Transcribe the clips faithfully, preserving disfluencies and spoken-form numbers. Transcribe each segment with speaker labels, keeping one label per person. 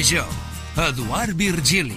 Speaker 1: Major, Eduard Virgili.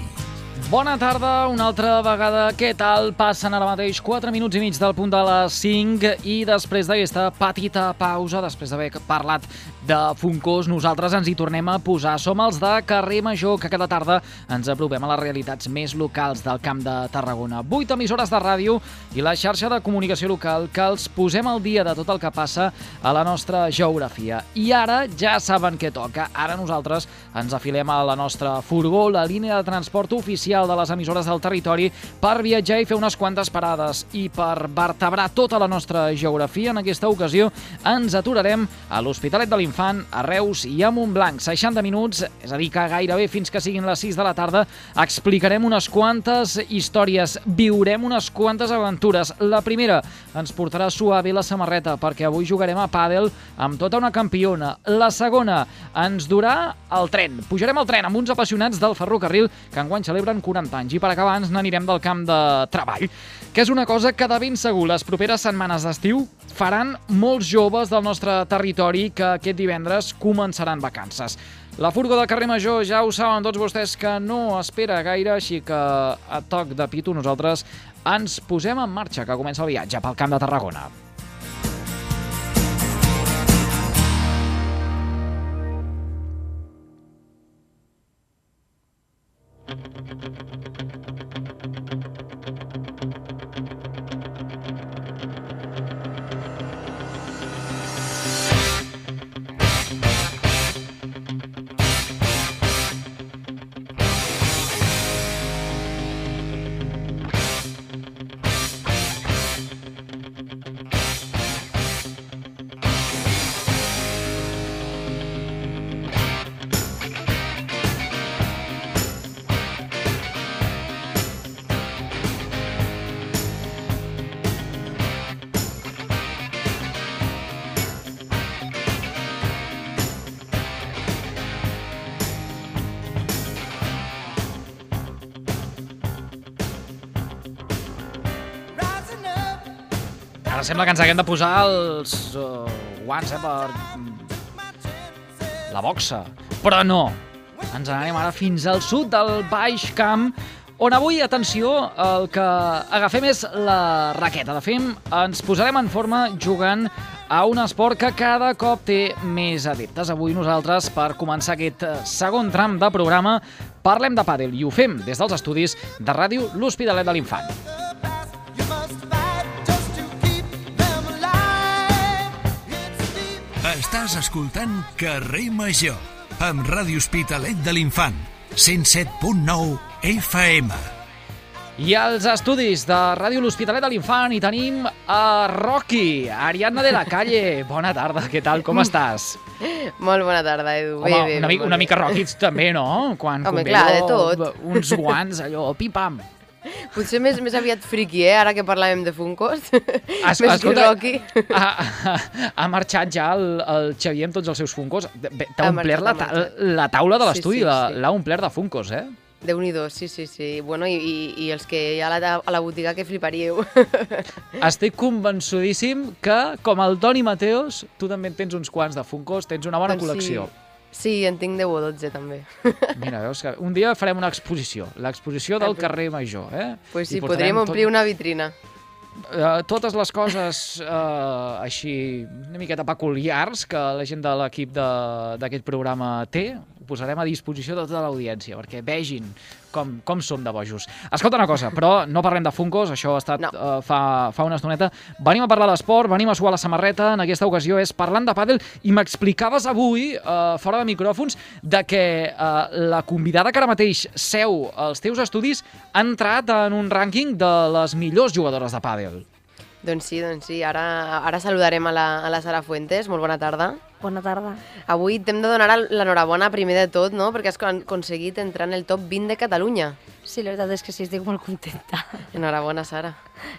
Speaker 2: Bona tarda, una altra vegada. Què tal? Passen ara mateix quatre minuts i mig del punt de les cinc i després d'aquesta petita pausa, després d'haver parlat de Funkos, nosaltres ens hi tornem a posar. Som els de Carrer Major, que cada tarda ens apropem a les realitats més locals del Camp de Tarragona. Vuit emissores de ràdio i la xarxa de comunicació local que els posem al dia de tot el que passa a la nostra geografia. I ara ja saben què toca. Ara nosaltres ens afilem a la nostra furgó, la línia de transport oficial de les emissores del territori, per viatjar i fer unes quantes parades. I per vertebrar tota la nostra geografia, en aquesta ocasió ens aturarem a l'Hospitalet de l'Infant, a Reus i a Montblanc. seixanta minuts, és a dir que gairebé fins que siguin les sis de la tarda, explicarem unes quantes històries, viurem unes quantes aventures. La primera ens portarà suave la samarreta, perquè avui jugarem a pàdel amb tota una campiona. La segona ens durà el tren. Pujarem al tren amb uns apassionats del ferrocarril que enguany celebren quaranta anys. I per acabar ens n'anirem del camp de treball, que és una cosa que de ben segur les properes setmanes d'estiu faran molts joves del nostre territori que aquest divendres començaran vacances. La furgo de Carrer Major, ja ho saben tots vostès que no espera gaire, així que a toc de pito nosaltres ens posem en marxa, que comença el viatge pel Camp de Tarragona. Ara sembla que ens haguem de posar els uh, guants eh, per la boxa, però no. Ens n'anem ara fins al sud del Baix Camp, on avui, atenció, el que agafem és la raqueta. De fet, ens posarem en forma jugant a un esport que cada cop té més adeptes. Avui nosaltres, per començar aquest segon tram de programa, parlem de pàdel i ho fem des dels estudis de ràdio L'Hospitalet de l'Infant.
Speaker 1: Estàs escoltant Carrer Major, amb Ràdio Hospitalet de l'Infant, cent set punt nou F M.
Speaker 2: I als estudis de Ràdio L'Hospitalet de l'Infant hi tenim a Rocky, Ariadna de la Calle. Bona tarda, què tal, com estàs?
Speaker 3: Molt bona tarda, Edu.
Speaker 2: Home,
Speaker 3: bé, bé,
Speaker 2: una, mica, una mica Rocky també, no? Quan
Speaker 3: Home,
Speaker 2: convé
Speaker 3: clar, de tot.
Speaker 2: Uns guants, allò, pim-pam.
Speaker 3: Potser més, més aviat friki, eh? Ara que parlàvem de Funkos.
Speaker 2: Es,
Speaker 3: més
Speaker 2: escolta,
Speaker 3: que Rocky.
Speaker 2: Ha, ha, ha marxat ja el, el Xavier amb tots els seus Funkos. T'ha
Speaker 3: Ha
Speaker 2: omplert la,
Speaker 3: marxat,
Speaker 2: ta
Speaker 3: ha marxat.
Speaker 2: la taula de
Speaker 3: Sí,
Speaker 2: l'estudi,
Speaker 3: sí,
Speaker 2: l'ha
Speaker 3: sí.
Speaker 2: l'ha omplert de Funkos, eh?
Speaker 3: Déu-n'hi-do, sí, sí, sí. Bueno, i, i, i els que hi ha a la, a la botiga que fliparíeu.
Speaker 2: Estic convençudíssim que, com el Toni Mateos, tu també en tens uns quants de Funkos, tens una bona
Speaker 3: Doncs
Speaker 2: col·lecció.
Speaker 3: Sí. Sí, en tinc deu o dotze, també.
Speaker 2: Mira, veus que un dia farem una exposició, l'exposició del carrer Major, eh?
Speaker 3: Pues sí,
Speaker 2: I portarem
Speaker 3: podríem omplir
Speaker 2: tot-
Speaker 3: una vitrina.
Speaker 2: Uh, totes les coses uh, així una miqueta peculiars que la gent de l'equip d'aquest programa té, ho posarem a disposició de tota l'audiència, perquè vegin com, com som de bojos. Escolta una cosa, però no parlem de Funkos, això ha estat
Speaker 3: No.
Speaker 2: uh, fa, fa una estoneta. Venim a parlar d'esport, venim a suar la samarreta, en aquesta ocasió és parlant de pàdel, i m'explicaves avui, uh, fora de micròfons, de que uh, la convidada que ara mateix seu als teus estudis ha entrat en un rànquing de les millors jugadores de pàdel.
Speaker 3: Doncs sí, doncs sí. Ara, ara saludarem a la, a la Sara Fuentes. Molt bona tarda.
Speaker 4: Bona tarda.
Speaker 3: Avui t'hem de donar l'enhorabona primer de tot, no? Perquè has con- aconseguit entrar en el top vint de Catalunya.
Speaker 4: Sí, la veritat és que sí, estic molt contenta.
Speaker 3: Enhorabona, Sara.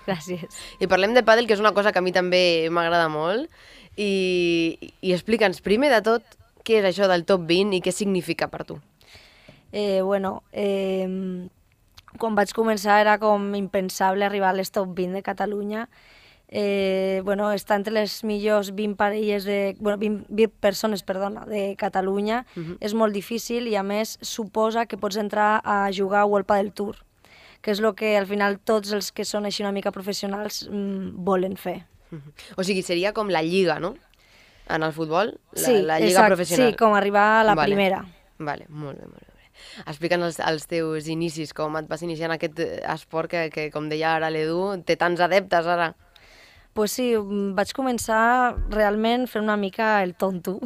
Speaker 4: Gràcies.
Speaker 3: I parlem de pàdel, que és una cosa que a mi també m'agrada molt. I, i explica'ns primer de tot què és això del top vint i què significa per tu.
Speaker 4: Eh, bueno, eh, quan vaig començar era com impensable arribar a les top vint de Catalunya Eh, bueno, està entre les millors vint parelles de... Bueno, vint, vint persones, perdona, de Catalunya. Uh-huh. És molt difícil i, a més, suposa que pots entrar a jugar a World Padel Tour, que és el que, al final, tots els que són així una mica professionals mmm, volen fer.
Speaker 3: Uh-huh. O sigui, seria com la lliga, no? En el futbol, la,
Speaker 4: sí,
Speaker 3: la lliga
Speaker 4: exacte,
Speaker 3: professional.
Speaker 4: Sí, com arribar a la
Speaker 3: vale.
Speaker 4: primera.
Speaker 3: Vale, molt bé, molt bé. Explica'ns els, els teus inicis, com et vas iniciar en aquest esport que, que com deia ara l'Edu, té tants adeptes ara.
Speaker 4: Pues sí, vaig començar realment fent una mica el tonto,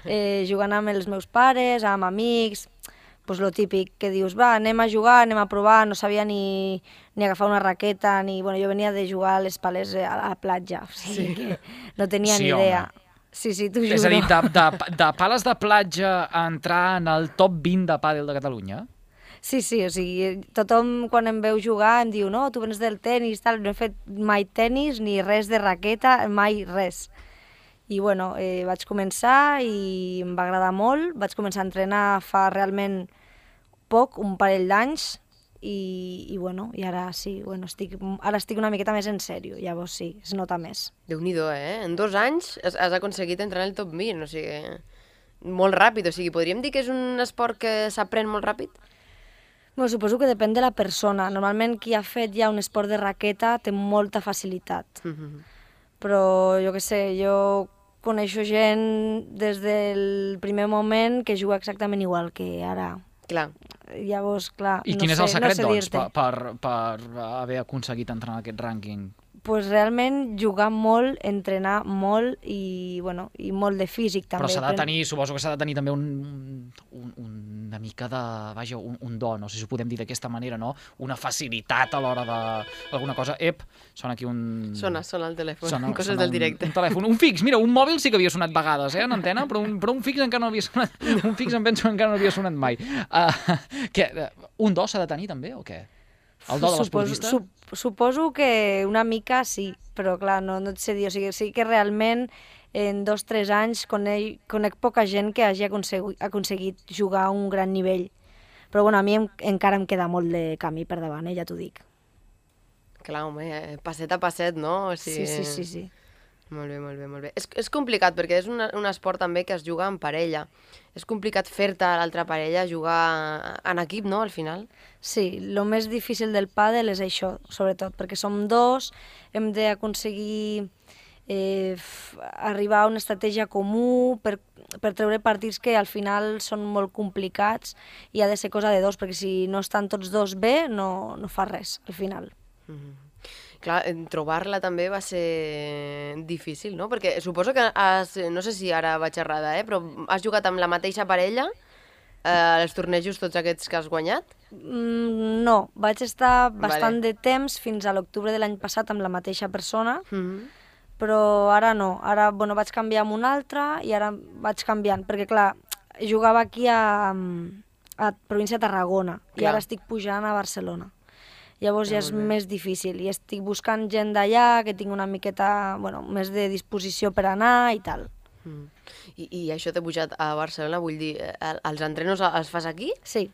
Speaker 4: eh, jugant amb els meus pares, amb amics, pues lo típic, que dius, va, anem a jugar, anem a provar, no sabia ni, ni agafar una raqueta, ni... Bueno, jo venia de jugar a les pales a la platja, o sigui sí. que no tenia
Speaker 2: sí,
Speaker 4: ni idea.
Speaker 2: Home.
Speaker 4: Sí, sí, t'ho juro.
Speaker 2: És a dir, de, de, de pales de platja a entrar en el top vint de pàdel de Catalunya?
Speaker 4: Sí, sí, o sigui, tothom quan em veu jugar em diu no, tu vens del tenis, tal, no he fet mai tenis ni res de raqueta, mai res. I bueno, eh, vaig començar i em va agradar molt, vaig començar a entrenar fa realment poc, un parell d'anys, i, i bueno, i ara sí, bueno, estic, ara estic una miqueta més en sèrio, llavors sí, es nota més.
Speaker 3: Déu-n'hi-do, eh? En dos anys has, has aconseguit entrar en el top vint, o sigui, molt ràpid, o sigui, podríem dir que és un esport que s'aprèn molt ràpid?
Speaker 4: Bueno, suposo que depèn de la persona. Normalment qui ha fet ja un esport de raqueta té molta facilitat. Mm-hmm. Però jo què sé, jo coneixo gent des del primer moment que juga exactament igual que ara.
Speaker 3: Clar.
Speaker 4: Llavors, clar,
Speaker 2: I
Speaker 4: no
Speaker 2: quin
Speaker 4: sé,
Speaker 2: és el secret,
Speaker 4: no sé
Speaker 2: doncs,
Speaker 4: dir-te.
Speaker 2: per, per, per haver aconseguit entrar en aquest rànquing?
Speaker 4: Pues realment jugar molt, entrenar molt i, bueno, i molt de físic també.
Speaker 2: Però s'ha de tenir, suposo que s'ha de tenir també un, un, una mica de, vaja, un, un do, no sé si ho podem dir d'aquesta manera, no? Una facilitat a l'hora de... alguna cosa. Ep, sona aquí un...
Speaker 3: Sona, sona el telèfon,
Speaker 2: sona,
Speaker 3: coses
Speaker 2: sona
Speaker 3: del directe.
Speaker 2: Un, un telèfon, un fix, mira, un mòbil sí que havia sonat vegades, eh, en antena, però un, però un fix encara no havia sonat, un fix em penso encara no havia sonat mai. Uh, que, un do s'ha de tenir també, o què? El do de l'esportista?
Speaker 4: Suposo, sup, suposo que una mica sí, però clar, no, no et sé dir. O sigui, sí que realment en dos o tres anys conec, conec poca gent que hagi aconseguit, aconseguit jugar a un gran nivell. Però bueno, a mi em, encara em queda molt de camí per davant, eh, ja t'ho dic.
Speaker 3: Clar, home, passet a passet, no? O sigui...
Speaker 4: Sí, sí, sí, sí.
Speaker 3: Molt bé, molt bé, molt bé. És, és complicat perquè és un, un esport també que es juga en parella. És complicat fer-te a l'altra parella jugar en equip, no?, al final.
Speaker 4: Sí, el més difícil del pàdel és això, sobretot, perquè som dos, hem d'aconseguir eh, arribar a una estratègia comú per, per treure partits que al final són molt complicats i ha de ser cosa de dos, perquè si no estan tots dos bé, no, no fa res, al final.
Speaker 3: Mm-hmm. Clar, trobar-la també va ser difícil, no? Perquè suposo que has, no sé si ara vaig errada, eh? Però has jugat amb la mateixa parella eh, els tornejos tots aquests que has guanyat?
Speaker 4: Mm, no, vaig estar bastant
Speaker 3: Vale.
Speaker 4: de temps fins a l'octubre de l'any passat amb la mateixa persona,
Speaker 3: Mm-hmm.
Speaker 4: però ara no, ara bueno, vaig canviar amb una altra i ara vaig canviant, perquè clar, jugava aquí a, a província de Tarragona
Speaker 3: Clar.
Speaker 4: i ara estic pujant a Barcelona. Llavors ja és
Speaker 3: Molt bé.
Speaker 4: més difícil i estic buscant gent d'allà que tinc una miqueta, bueno, més de disposició per anar i tal.
Speaker 3: Mm. I, I això t'he pujat a Barcelona, vull dir, eh, els entrenos els fas aquí?
Speaker 4: Sí.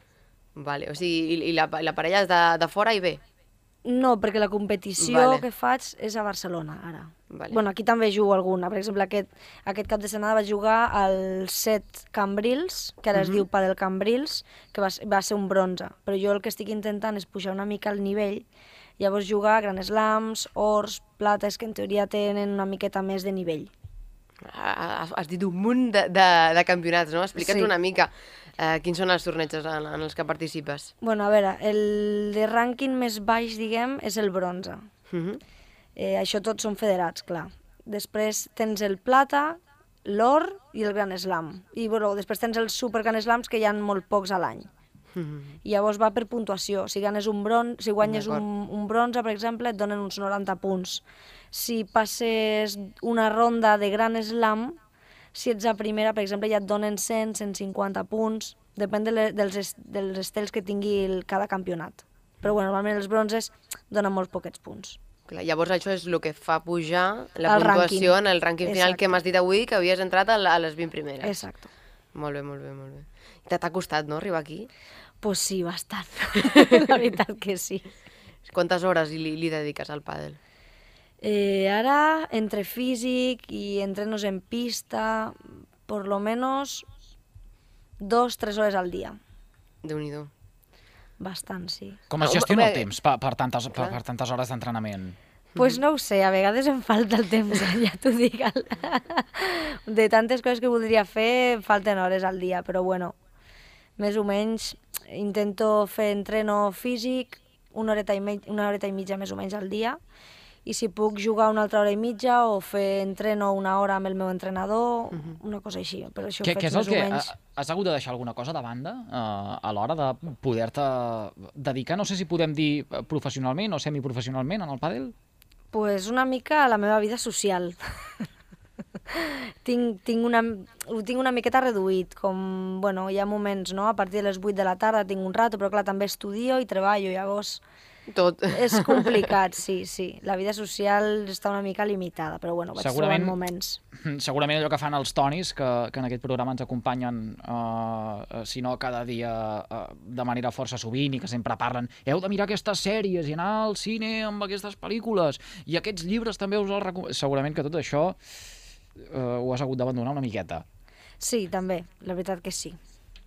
Speaker 3: Vale, o sigui, i, i la, la parella és de, de fora i ve?
Speaker 4: No, perquè la competició
Speaker 3: Vale.
Speaker 4: que faig és a Barcelona, ara.
Speaker 3: Vale.
Speaker 4: Bueno, aquí també jugo alguna. Per exemple, aquest, aquest cap de setmana vaig jugar al set Cambrils, que ara es
Speaker 3: Mhm.
Speaker 4: diu Padel Cambrils, que va, ser- va ser un bronze. Però jo el que estic intentant és pujar una mica el nivell, llavors jugar a Grand Slams, ors, plates, que en teoria tenen una miqueta més de nivell.
Speaker 3: Has, has dit un munt de, de, de campionats, no? Explica'ns
Speaker 4: Sí.
Speaker 3: una mica eh, quins són els tornejos en, en els que participes.
Speaker 4: Bueno, a veure, el de rànquing més baix, diguem, és el bronze.
Speaker 3: Mhm.
Speaker 4: Eh, això tots són federats, clar. Després tens el plata, l'or i el Grand Slam. I bueno, després tens els Super Grand Slams, que hi ha molt pocs a l'any.
Speaker 3: Mhm.
Speaker 4: I llavors va per puntuació. Si ganes un bron... si guanyes
Speaker 3: D'acord.
Speaker 4: un, un bronze, per exemple, et donen uns noranta punts. Si passes una ronda de Grand Slam, si ets a primera, per exemple, ja et donen cent, cent cinquanta punts. Depèn de le, dels, est, dels estels que tingui el, cada campionat. Però bueno, normalment els bronzes donen molt poquets punts.
Speaker 3: Clar, llavors això és el que fa pujar la
Speaker 4: El
Speaker 3: puntuació
Speaker 4: rànquing.
Speaker 3: en el rànquing final
Speaker 4: Exacte.
Speaker 3: que m'has dit avui, que havies entrat a, la- a les vint primeres.
Speaker 4: Exacte.
Speaker 3: Molt bé, molt bé, molt bé. T'ha t'ha costat, no, arribar aquí?
Speaker 4: Pues sí, bastant. La veritat que sí.
Speaker 3: Quantes hores li, li dediques al pàdel?
Speaker 4: Eh, ara, entre físic i entrenos en pista, por lo menos dos, tres hores al dia.
Speaker 3: Déu-n'hi-do.
Speaker 4: Bastant, sí.
Speaker 2: Com es
Speaker 3: Home,
Speaker 2: gestiona el
Speaker 3: home,
Speaker 2: temps per, per, tantes, per,
Speaker 3: clar.
Speaker 2: per tantes hores d'entrenament?
Speaker 4: Pues no ho sé, a vegades em falta el temps, ja t'ho dic. De tantes coses que voldria fer, em falten hores al dia, però bueno, més o menys intento fer entreno físic una horeta i, mig, una horeta i mitja més o menys al dia, i si puc jugar una altra hora i mitja o fer entreno una hora amb el meu entrenador, uh -huh. una cosa així. Però això
Speaker 2: Què,
Speaker 4: ho
Speaker 2: què
Speaker 4: faig
Speaker 2: és el
Speaker 4: més
Speaker 2: que...
Speaker 4: o menys...
Speaker 2: Has hagut de deixar alguna cosa de banda uh, a l'hora de poder-te dedicar, no sé si podem dir professionalment o semiprofessionalment en el pàdel?
Speaker 4: Pues una mica a la meva vida social. tinc, tinc, una, ho tinc una miqueta reduït, com, bueno, hi ha moments, no?, a partir de les vuit de la tarda tinc un rato, però clar, també estudio i treballo, llavors
Speaker 3: Tot.
Speaker 4: és complicat, sí, sí. La vida social està una mica limitada, però bueno, vaig
Speaker 2: Segurament-
Speaker 4: trobant moments.
Speaker 2: Segurament allò que fan els Tonis, que, que en aquest programa ens acompanyen, uh, si no cada dia uh, de manera força sovint, i que sempre parlen heu de mirar aquestes sèries i anar al cine amb aquestes pel·lícules, i aquests llibres també us els recomano. Segurament que tot això uh, ho has hagut d'abandonar una miqueta.
Speaker 4: Sí, també, la veritat que sí.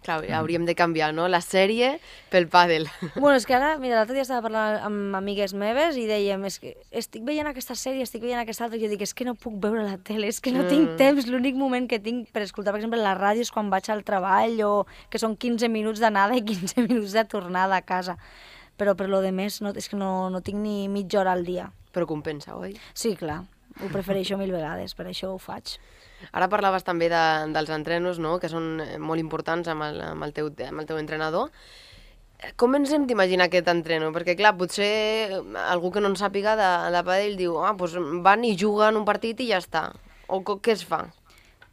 Speaker 3: Clar, hauríem de canviar, no?, la sèrie pel pàdel.
Speaker 4: Bueno, és que ara, mira, l'altre dia estava parlant amb amigues meves i dèiem, és que estic veient aquesta sèrie, estic veient aquesta altra, i jo dic, és que no puc veure la tele, és que no
Speaker 3: Mm.
Speaker 4: tinc temps, l'únic moment que tinc per escoltar, per exemple, la ràdio és quan vaig al treball, o que són quinze minuts d'anada i quinze minuts de tornada a casa. Però per lo de més, no, és que no, no tinc ni mitja hora al dia.
Speaker 3: Però compensa, oi?
Speaker 4: Sí, clar, ho prefereixo mil vegades, per això ho faig.
Speaker 3: Ara parlaves també de, dels entrenos, no?, que són molt importants amb el, amb el, teu, amb el teu entrenador. Com ens hem d'imaginar aquest entreno? Perquè, clar, potser algú que no en sàpiga de, de pàdel diu ah, doncs van i juguen un partit i ja està. O co- què es fa?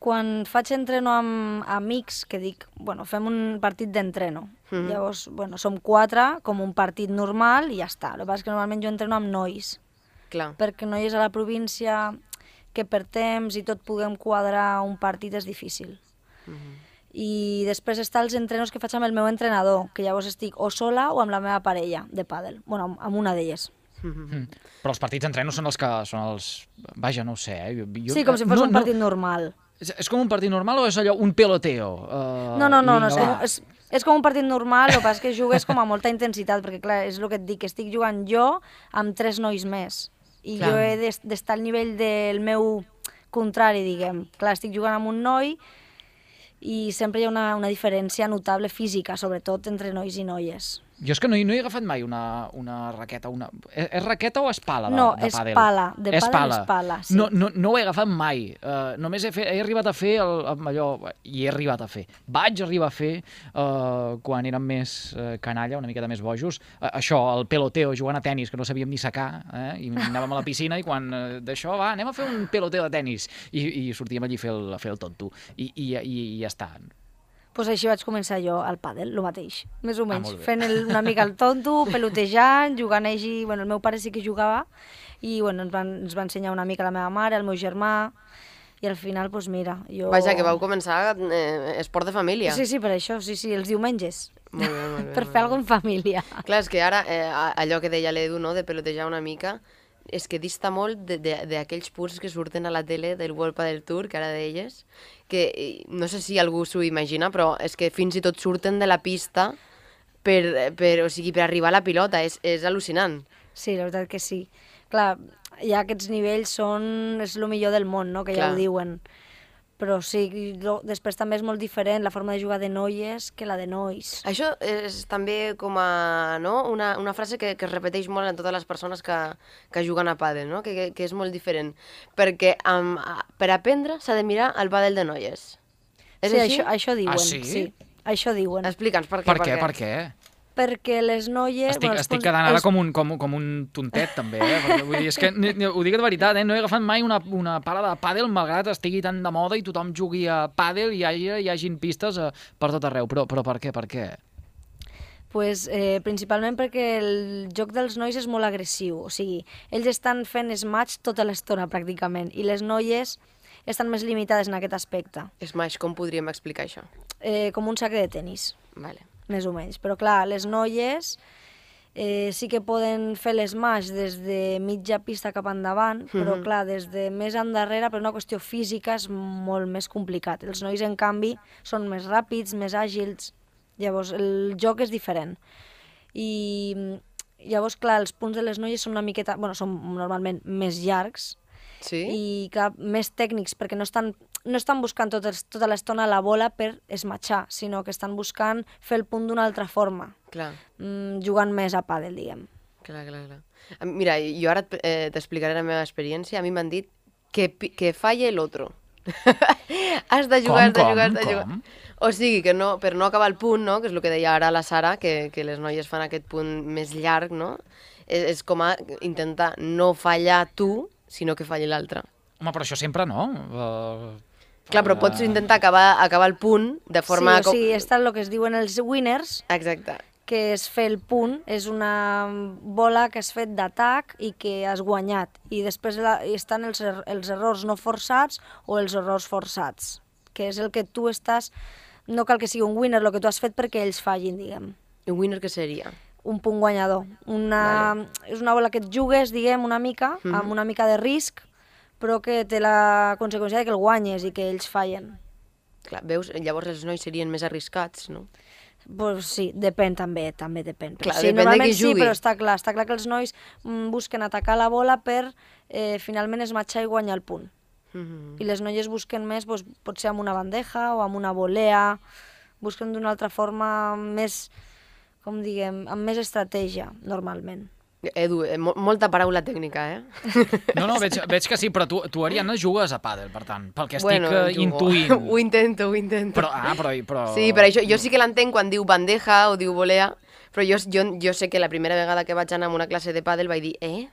Speaker 4: Quan faig entreno amb amics, que dic, bueno, fem un partit d'entreno.
Speaker 3: Mhm.
Speaker 4: Llavors, bueno, som quatre, com un partit normal, i ja està. El que passa és que normalment jo entreno amb nois,
Speaker 3: Clar.
Speaker 4: perquè noies a la província que per temps i tot puguem quadrar un partit és difícil. I després està els entrenos que faig amb el meu entrenador, que llavors estic o sola o amb la meva parella de pàdel, bueno, amb- amb una d'elles.
Speaker 2: Mm. Però els partits d'entreno són els que... són els... Vaja, no ho sé, eh? Jo,
Speaker 4: Sí, com si fos
Speaker 2: no,
Speaker 4: un partit normal.
Speaker 2: És, és com un partit normal o és allò un peloteo? Uh,
Speaker 4: No, no, no, no és,
Speaker 2: vinga,
Speaker 4: com,
Speaker 2: va.
Speaker 4: és, és com un partit normal, el que passa és que jugues com a molta intensitat, perquè clar, és el que et dic, que estic jugant jo amb tres nois més, i
Speaker 3: Clar.
Speaker 4: jo he d'es- d'estar al nivell del meu contrari, diguem. Clar, estic jugant amb un noi i sempre hi ha una, una diferència notable física, sobretot entre nois i noies.
Speaker 2: Jo és que no, hi- no he agafat mai una, una raqueta. Una... És, és raqueta o és pala de,
Speaker 4: No,
Speaker 2: de
Speaker 4: és
Speaker 2: pàdel?
Speaker 4: pala, de
Speaker 2: és
Speaker 4: pàdel
Speaker 2: pala.
Speaker 4: és pala, sí.
Speaker 2: No, no, no ho he agafat mai. Uh, només he, fet, he arribat a fer el, el, allò... I he arribat a fer. Vaig arribar a fer, uh, quan érem més uh, canalla, una miqueta més bojos, uh, això, el peloteo, jugant a tennis, que no sabíem ni secar, eh? I anàvem a la piscina i quan uh, d'això, va, anem a fer un peloteo de tennis. I, i sortíem allí a fer el, a fer el tonto. I, i, i, i ja està.
Speaker 4: Doncs així vaig començar jo al pàdel, el mateix, més o menys,
Speaker 2: molt bé.
Speaker 4: fent el, una mica el tonto, pelotejant, jugant així, bueno, el meu pare sí que jugava, i bueno, ens, van, ens va ensenyar una mica la meva mare, el meu germà, i al final, doncs mira, jo...
Speaker 3: Vaja, que vau començar eh, esport de família.
Speaker 4: Sí, sí, per això, sí, sí, els diumenges,
Speaker 3: Molt bé, molt bé.
Speaker 4: per fer alguna cosa en família.
Speaker 3: Clar, és que ara, eh, a- allò que deia l'Edu, no?, de pelotejar una mica, és que dista molt de- de- d'aquells punts que surten a la tele del World Padel Tour, que ara deies, que eh, no sé si algú s'ho imagina, però és que fins i tot surten de la pista per, per, o sigui, per arribar a la pilota, és, és al·lucinant.
Speaker 4: Sí, la veritat que sí. Clar, ja aquests nivells són... és el millor del món, no?, que ja
Speaker 3: Clar.
Speaker 4: ho diuen. Però sí, lo, després també és molt diferent la forma de jugar de noies que la de nois.
Speaker 3: Això és també com a, no? una, una frase que, que es repeteix molt en totes les persones que, que juguen a pàdel, no? que, que, que és molt diferent, perquè um, per aprendre s'ha de mirar el pàdel de noies. És
Speaker 4: sí,
Speaker 3: així?
Speaker 4: això, això diuen.
Speaker 2: Ah, sí?
Speaker 4: sí? Això diuen.
Speaker 3: Explica'ns per què.
Speaker 2: Per què? Per què?
Speaker 4: Perquè les noies...
Speaker 2: Estic,
Speaker 4: bueno, els
Speaker 2: estic
Speaker 4: punts-
Speaker 2: quedant ara
Speaker 4: els-
Speaker 2: com un, com, com un tontet, també, eh? Perquè, vull dir, és que, ni- ni- ho dic de veritat, eh? No he agafat mai una, una pala de pàdel, malgrat estigui tan de moda i tothom jugui a pàdel i hi hagi, hi hagin pistes eh, per tot arreu. Però, però per què? Per què?
Speaker 4: Pues, eh, principalment perquè el joc dels nois és molt agressiu, o sigui, ells estan fent smash tota l'estona pràcticament, i les noies estan més limitades en aquest aspecte,
Speaker 3: Smash, com podríem explicar això?
Speaker 4: eh, com un sac de tenis,
Speaker 3: Vale.
Speaker 4: més o menys. Però clar, les noies Eh, sí que poden fer l'smash des de mitja pista cap endavant, però
Speaker 3: Mhm.
Speaker 4: clar, des de més endarrere, per una qüestió física, és molt més complicat. Els nois, en canvi, són més ràpids, més àgils, llavors el joc és diferent. I llavors, clar, els punts de les noies són una miqueta, bueno, són normalment més llargs,
Speaker 3: Sí?
Speaker 4: i clar, més tècnics, perquè no estan, no estan buscant tot el, tota l'estona la bola per esmatxar, sinó que estan buscant fer el punt d'una altra forma,
Speaker 3: Clar,
Speaker 4: mm, jugant més a pàdel, diguem.
Speaker 3: clar, clar, clar. A mi- Mira, jo ara et- eh, t'explicaré la meva experiència. A mi m'han dit que, pi- que falle el otro. Has de jugar, has de
Speaker 2: Com,
Speaker 3: jugar, has
Speaker 2: com,
Speaker 3: de jugar.
Speaker 2: com?
Speaker 3: O sigui, que no, per no acabar el punt, no? Que és el que deia ara la Sara, que, que les noies fan aquest punt més llarg, no? És, és com a intentar no fallar tu, sinó que falli l'altre.
Speaker 2: Home, però això sempre no. Uh,
Speaker 3: Clar, però pots intentar acabar, acabar el punt de forma...
Speaker 4: Sí, o sigui, està el que es diuen els winners,
Speaker 3: Exacte.
Speaker 4: que és fer el punt, és una bola que has fet d'atac i que has guanyat. I després la, i estan els, er, els errors no forçats o els errors forçats, que és el que tu estàs... No cal que sigui un winner, el que tu has fet perquè ells fallin, diguem.
Speaker 3: I un winner què seria?
Speaker 4: Un punt guanyador. Una, vale. És una bola que et jugues, diguem, una mica,
Speaker 3: Mhm.
Speaker 4: amb una mica de risc, però que té la conseqüència de que el guanyes i que ells fallen.
Speaker 3: Clar, veus? Llavors els nois serien més arriscats, no?
Speaker 4: Pues sí, depèn també, també depèn. Però
Speaker 3: Clar,
Speaker 4: sí,
Speaker 3: depèn de
Speaker 4: normalment
Speaker 3: qui
Speaker 4: sí,
Speaker 3: jugui.
Speaker 4: però està clar, està clar que els nois mm, busquen atacar la bola per eh, finalment esmatxar i guanyar el punt.
Speaker 3: Mhm.
Speaker 4: I les noies busquen més, doncs, potser amb una bandeja o amb una volea, busquen d'una altra forma més, com diguem, amb més estratègia, normalment.
Speaker 3: Edu, eh, mo molta paraula tècnica, eh?
Speaker 2: no, no, veig, veig que sí, però tu, tu Ariadna, jugues a pàdel, per tant, pel que estic
Speaker 3: Bueno,
Speaker 2: eh,
Speaker 3: jugo.
Speaker 2: intuint.
Speaker 3: Ho intento, ho intento.
Speaker 2: Però, ah, però, però...
Speaker 3: Sí, però això, jo sí que l'entenc quan diu bandeja o diu volea, però jo, jo, jo sé que la primera vegada que vaig anar a una classe de pàdel vaig dir, eh?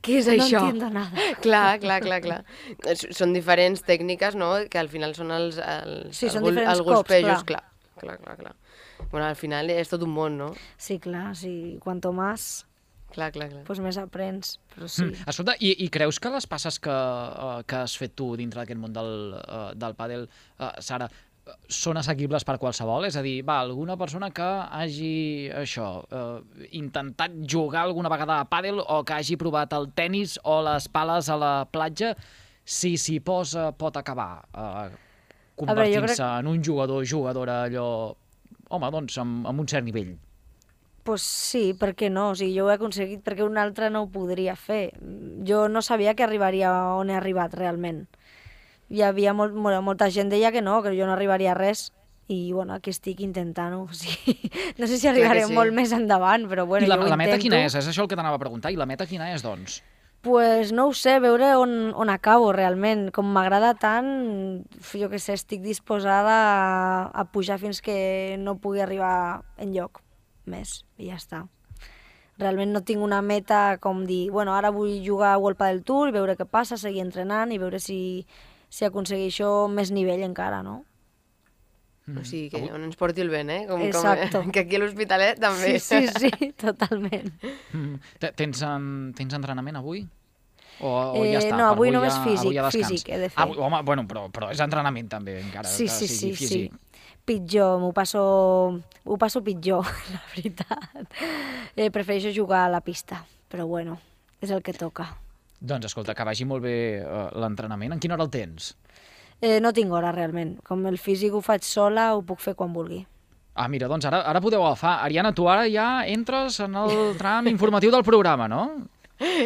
Speaker 3: Què és
Speaker 4: No
Speaker 3: això?
Speaker 4: entiendo nada.
Speaker 3: Clar, clar, clar, clar. S- Són diferents tècniques, no?, que al final són els, els,
Speaker 4: Sí, són
Speaker 3: els, gol-
Speaker 4: diferents
Speaker 3: els
Speaker 4: cops,
Speaker 3: golpejos,
Speaker 4: clar.
Speaker 3: clar. Clar, clar, clar. Bueno, al final és tot un món, no?
Speaker 4: Sí, clar, sí, cuanto más,
Speaker 3: Clar, clar, clar.
Speaker 4: pues més aprens, però sí.
Speaker 2: Mm. Escolta, i, i creus que les passes que, uh, que has fet tu dintre d'aquest món del, uh, del pàdel, uh, Sara, uh, són assequibles per qualsevol? És a dir, va, alguna persona que hagi, això, uh, intentat jugar alguna vegada a pàdel o que hagi provat el tennis o les pales a la platja, si s'hi posa pot acabar uh, convertint-se
Speaker 4: crec-
Speaker 2: en un jugador jugadora allò, home, doncs, amb, amb un cert nivell.
Speaker 4: Pues sí, per què no? O sigui, jo ho he aconseguit perquè un altre no ho podria fer. Jo no sabia que arribaria on he arribat realment. Hi havia molt, molt, molta gent deia que no, que jo no arribaria a res. I bueno, aquí estic intentant-ho. O sigui, no sé si arribaré
Speaker 3: sí.
Speaker 4: molt més endavant, però bueno,
Speaker 2: I la,
Speaker 4: jo ho
Speaker 2: la meta
Speaker 4: intento.
Speaker 2: quina és? És això el que t'anava a preguntar. I la meta quina és, doncs?
Speaker 4: Pues no ho sé, veure on, on acabo realment. Com m'agrada tant, jo que sé, estic disposada a, a pujar fins que no pugui arribar enlloc més, i ja està. Realment no tinc una meta com dir, bueno, ara vull jugar a World Padel Tour, veure què passa, seguir entrenant i veure si, si aconsegueixo més nivell encara, no?
Speaker 3: O sigui, que on ens porti el vent, eh? Com,
Speaker 4: Exacto.
Speaker 3: Com, que aquí a l'Hospitalet també.
Speaker 4: Sí, sí, sí, totalment.
Speaker 2: Mm. Te- Tens, en, tens entrenament avui? O, o
Speaker 4: Eh,
Speaker 2: ja està?
Speaker 4: no,
Speaker 2: per
Speaker 4: avui només
Speaker 2: ja,
Speaker 4: físic,
Speaker 2: avui ja descans?
Speaker 4: físic he de fer.
Speaker 2: Avui, home, bueno, però, però és entrenament també, encara
Speaker 4: Sí,
Speaker 2: que
Speaker 4: sí,
Speaker 2: sigui
Speaker 4: sí,
Speaker 2: físic.
Speaker 4: sí. Pitjor, m'ho passo, ho passo pitjor, la veritat. Eh, prefereixo jugar a la pista, però bueno, és el que toca.
Speaker 2: Doncs escolta, que vagi molt bé uh, l'entrenament. En quina hora el tens?
Speaker 4: Eh, no tinc hora, realment. Com el físic ho faig sola, ho puc fer quan vulgui.
Speaker 2: Ah, mira, doncs ara, ara podeu agafar. Ariadna, tu ara ja entres en el tram informatiu del programa, no?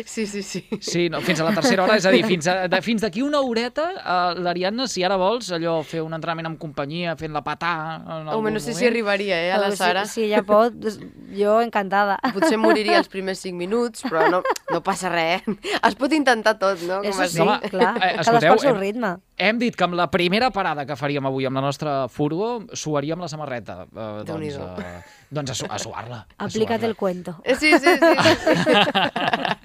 Speaker 3: Sí, sí, sí.
Speaker 2: Sí, no, fins a la tercera hora, és a dir, fins a, de, fins d'aquí una horeta, uh, l'Ariadna, si ara vols, allò, fer un entrenament amb companyia, fent la patà... En
Speaker 3: Home,
Speaker 2: algun
Speaker 3: no sé
Speaker 2: moment.
Speaker 3: si arribaria, eh, a la
Speaker 4: Però
Speaker 3: Sara.
Speaker 4: Si, si ella pot, doncs jo encantada.
Speaker 3: Potser moriria els primers cinc minuts, però no, no passa res. Es pot intentar tot, no? Com
Speaker 4: Eso
Speaker 3: es
Speaker 4: sí,
Speaker 3: diu.
Speaker 2: home,
Speaker 4: clar,
Speaker 2: eh,
Speaker 4: cadascú
Speaker 2: escolteu,
Speaker 4: al seu
Speaker 2: hem-
Speaker 4: ritme.
Speaker 2: Hem dit que amb la primera parada que faríem avui amb la nostra furgo, suaríem la samarreta. Uh, doncs,
Speaker 3: Déu-n'hi-do.
Speaker 2: uh, doncs a, su a suar-la. a
Speaker 4: Aplica't
Speaker 2: suar-la.
Speaker 4: el cuento.
Speaker 3: Eh, Sí, sí, sí. sí.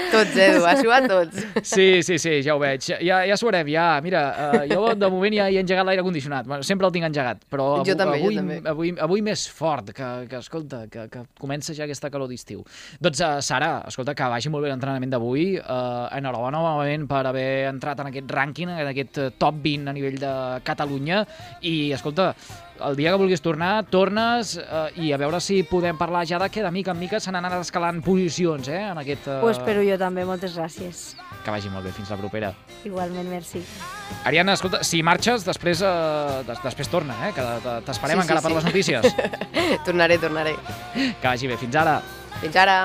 Speaker 3: Tots, Edu, ha suat tots.
Speaker 2: Sí, sí, sí, ja ho veig. Ja, ja suarem, ja. Mira, uh, jo de moment ja he engegat l'aire condicionat. Bueno, sempre el tinc engegat, però
Speaker 3: Jo també, jo
Speaker 2: avui,
Speaker 3: també.
Speaker 2: avui, avui més fort, que, que escolta, que, que comença ja aquesta calor d'estiu. Doncs, uh, Sara, escolta, que vagi molt bé l'entrenament d'avui. Uh, enhorabona novament per haver entrat en aquest rànquing, en aquest eh, top vint a nivell de Catalunya. I, escolta, el dia que vulguis tornar, tornes eh, i a veure si podem parlar ja de que de mica en mica se n'han anat escalant posicions, eh, en aquest... Eh...
Speaker 4: Ho espero jo també, moltes gràcies.
Speaker 2: Que vagi molt bé, fins la propera.
Speaker 4: Igualment, merci.
Speaker 2: Ariadna, escolta, si marxes, després, eh, des després torna, eh, que t'esperem sí, encara sí, per sí. les notícies.
Speaker 3: Tornaré, tornaré.
Speaker 2: Que vagi bé, fins ara.
Speaker 3: Fins ara.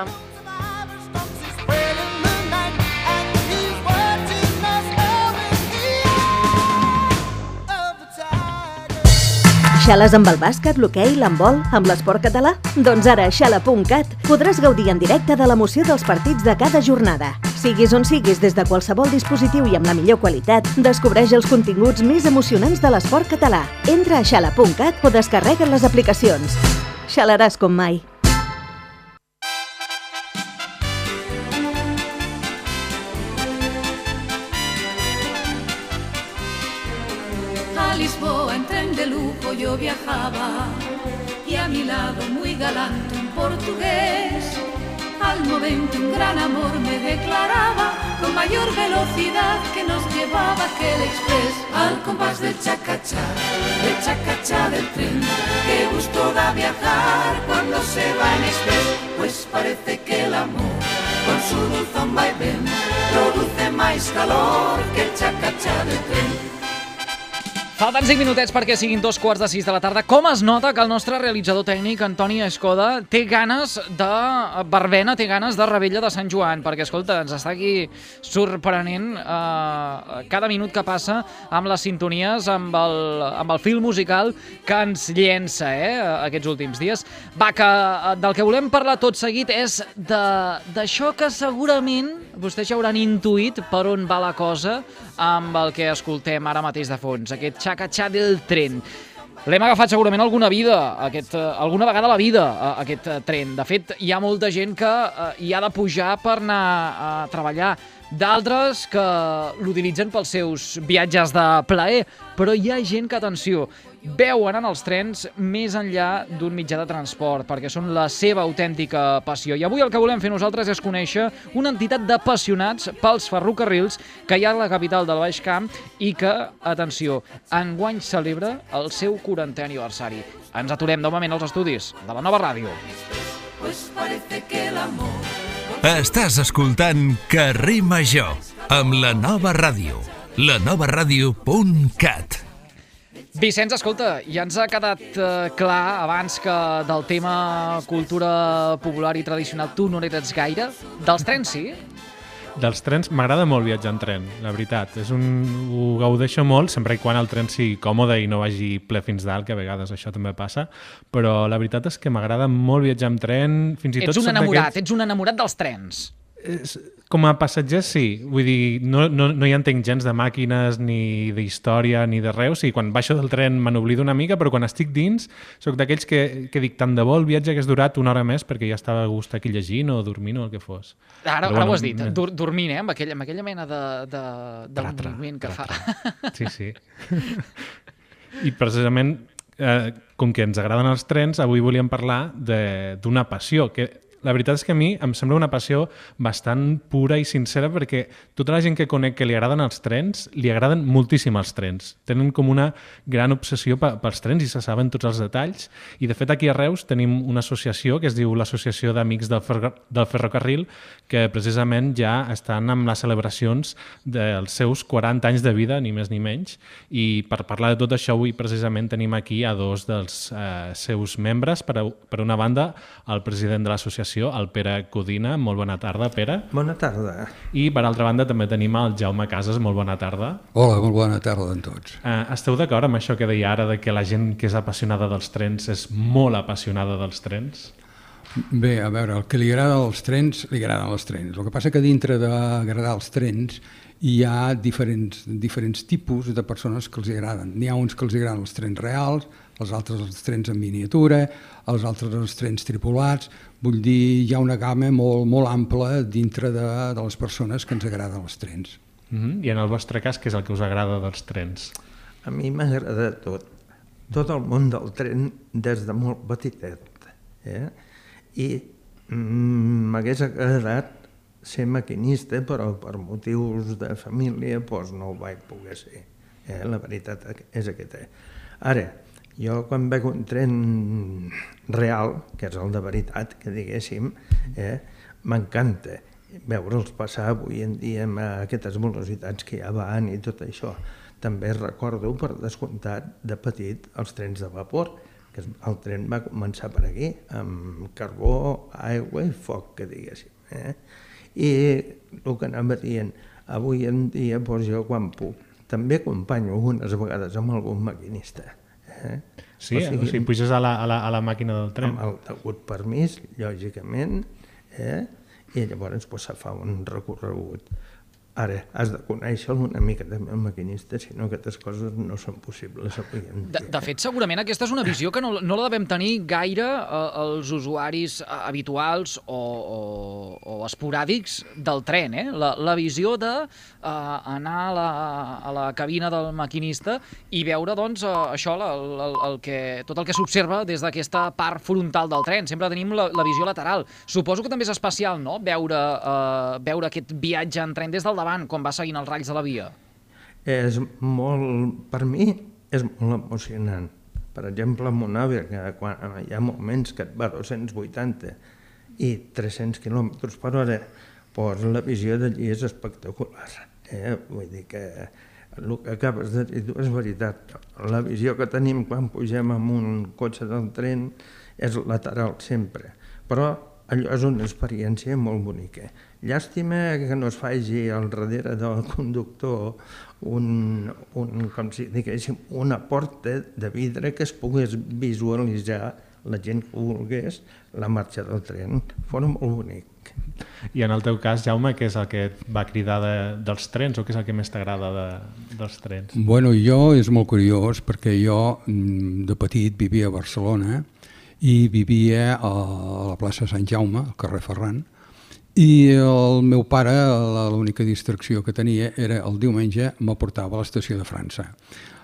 Speaker 5: Xales amb el bàsquet, l'hoquei, l'handbol, amb l'esport català? Doncs ara a xala punt cat podràs gaudir en directe de l'emoció dels partits de cada jornada. Siguis on siguis, des de qualsevol dispositiu i amb la millor qualitat, descobreix els continguts més emocionants de l'esport català. Entra a xala punt cat o descarrega les aplicacions. Xalaràs com mai.
Speaker 6: A Lisboa en tren de lujo yo viajaba y a mi lado muy galante un portugués. Al momento un gran amor me declaraba con mayor velocidad que nos llevaba aquel express. Al compás del chacachá, del chacachá del tren, qué gusto da viajar cuando se va en express. Pues parece que el amor con su dulzón vaivén produce más calor que el chacachá del tren.
Speaker 2: Falten cinc minutets perquè siguin dos quarts de sis de la tarda. Com es nota que el nostre realitzador tècnic, Antoni Escoda, té ganes de verbena, té ganes de Rebella de Sant Joan, perquè, escolta, ens està aquí sorprenent eh, cada minut que passa amb les sintonies, amb el, amb el fil musical que ens llença eh, aquests últims dies. Va, que del que volem parlar tot seguit és d'això que segurament vostès ja hauran intuït per on va la cosa amb el que escoltem ara mateix de fons, aquest xacatxà del tren. L'hem agafat segurament alguna vida, aquest, alguna vegada a la vida, aquest tren. De fet, hi ha molta gent que hi ha de pujar per anar a treballar, d'altres que l'utilitzen pels seus viatges de plaer, però hi ha gent que, atenció, veuen en els trens més enllà d'un mitjà de transport, perquè són la seva autèntica passió. I avui el que volem fer nosaltres és conèixer una entitat d'apassionats pels ferrocarrils que hi ha a la capital del Baix Camp i que, atenció, enguany celebra el seu quarantè aniversari. Ens aturem de moment als estudis de la Nova Ràdio.
Speaker 1: Estàs escoltant Carrer Major amb la Nova Ràdio, la nova ràdio punt cat.
Speaker 2: Vicenç, escolta, ja ens ha quedat eh, clar abans que del tema cultura popular i tradicional tu no n'eres gaire. Dels trens, sí?
Speaker 7: Dels trens, m'agrada molt viatjar en tren, la veritat. És un... Ho gaudeixo molt, sempre i quan el tren sigui còmode i no vagi ple fins dalt, que a vegades això també passa, però la veritat és que m'agrada molt viatjar en tren, fins i tot...
Speaker 2: Ets un enamorat, ets un enamorat dels trens.
Speaker 7: És... Com a passatger, sí. Vull dir, no, no, no hi entenc gens de màquines, ni d'història, ni de res. O sigui, quan baixo del tren me n'oblido una mica, però quan estic dins soc d'aquells que, que dic tant de bo el viatge hagués durat una hora més perquè ja estava a gust aquí llegint o dormint o el que fos.
Speaker 2: Ara, ara bueno, ho has dit, dur, dormint, eh? Amb aquella, amb aquella mena de, de, de
Speaker 7: tratra,
Speaker 2: moviment que
Speaker 7: tratra.
Speaker 2: fa.
Speaker 7: Sí, sí. I precisament, eh, com que ens agraden els trens, avui volíem parlar d'una passió que... La veritat és que a mi em sembla una passió bastant pura i sincera perquè tota la gent que conec que li agraden els trens, li agraden moltíssim els trens. Tenen com una gran obsessió pels trens i se saben tots els detalls. I de fet aquí a Reus tenim una associació que es diu l'Associació d'Amics del, Fer del Ferrocarril que precisament ja estan amb les celebracions dels seus quaranta anys de vida, ni més ni menys. I per parlar de tot això avui precisament tenim aquí a dos dels eh, seus membres. Per, a, per una banda, el president de l'associació, el Pere Codina. Molt bona tarda, Pere.
Speaker 8: Bona tarda.
Speaker 7: I per altra banda també tenim el Jaume Casas. Molt bona tarda.
Speaker 9: Hola, molt bona tarda a tots.
Speaker 7: Uh, esteu d'acord amb això que deia ara de que la gent que és apassionada dels trens és molt apassionada dels trens?
Speaker 9: Bé, a veure, el que li agrada als trens, li agraden els trens. El que passa que dintre d'agradar els trens hi ha diferents, diferents tipus de persones que els agraden. N'hi ha uns que els agraden els trens reals, els altres els trens en miniatura, els altres els trens tripulats. Vull dir, hi ha una gamma molt, molt ampla dintre de, de les persones que ens agraden els trens.
Speaker 7: Mm-hmm. I en el vostre cas, què és el que us agrada dels trens?
Speaker 8: A mi m'agrada tot. Tot el món del tren des de molt petitet. Eh? I m'hagués agradat ser maquinista, però per motius de família doncs no ho vaig poder ser. Eh? La veritat és aquesta. Ara, Jo quan veig un tren real, que és el de veritat, que diguéssim, eh, m'encanta veure'ls passar avui en dia amb aquestes velocitats que ja van i tot això. També recordo, per descomptat, de petit, els trens de vapor, que el tren va començar per aquí, amb carbó, aigua i foc, que diguéssim. Eh? I el que anava dient, avui en dia, doncs jo quan puc, també acompanyo algunes vegades amb algun maquinista. Eh?
Speaker 7: Sí, o sigui, o sigui puges a la, a, la, a la màquina del tren.
Speaker 8: Amb el degut permís, lògicament, eh? I llavors pues, se fa un recorregut. Ara, has de conèixer una mica també el maquinista, si no aquestes coses no són possibles.
Speaker 2: De, de fet, segurament aquesta és una visió que no, no la devem tenir gaire eh, els usuaris eh, habituals o, o, o esporàdics del tren, eh? La, la visió de eh, anar a la, a la cabina del maquinista i veure, doncs, eh, això, la, la, el que, tot el que s'observa des d'aquesta part frontal del tren. Sempre tenim la, la visió lateral. Suposo que també és especial, no?, veure, eh, veure aquest viatge en tren des del davant, com va seguint els rails de la via.
Speaker 8: És molt, per mi, és molt emocionant. Per exemple, amb un AVE, que quan hi ha moments que et va a dos-cents vuitanta i tres-cents quilòmetres per hora, doncs la visió d'allí és espectacular. Eh? Vull dir que el que acabes de dir és veritat. La visió que tenim quan pugem en un cotxe del tren és lateral sempre, però allò és una experiència molt bonica. Llàstima que no es faci al darrere del conductor un, un, com si diguéssim, una porta de vidre que es pogués visualitzar la gent que volgués la marxa del tren. Fora molt bonic.
Speaker 7: I en el teu cas, Jaume, què és el que et va cridar de, dels trens o què és el que més t'agrada de, dels trens?
Speaker 9: Bueno, jo és molt curiós perquè jo de petit vivia a Barcelona i vivia a la plaça Sant Jaume, al carrer Ferran, i el meu pare, l'única distracció que tenia era el diumenge m'aportava a l'estació de França.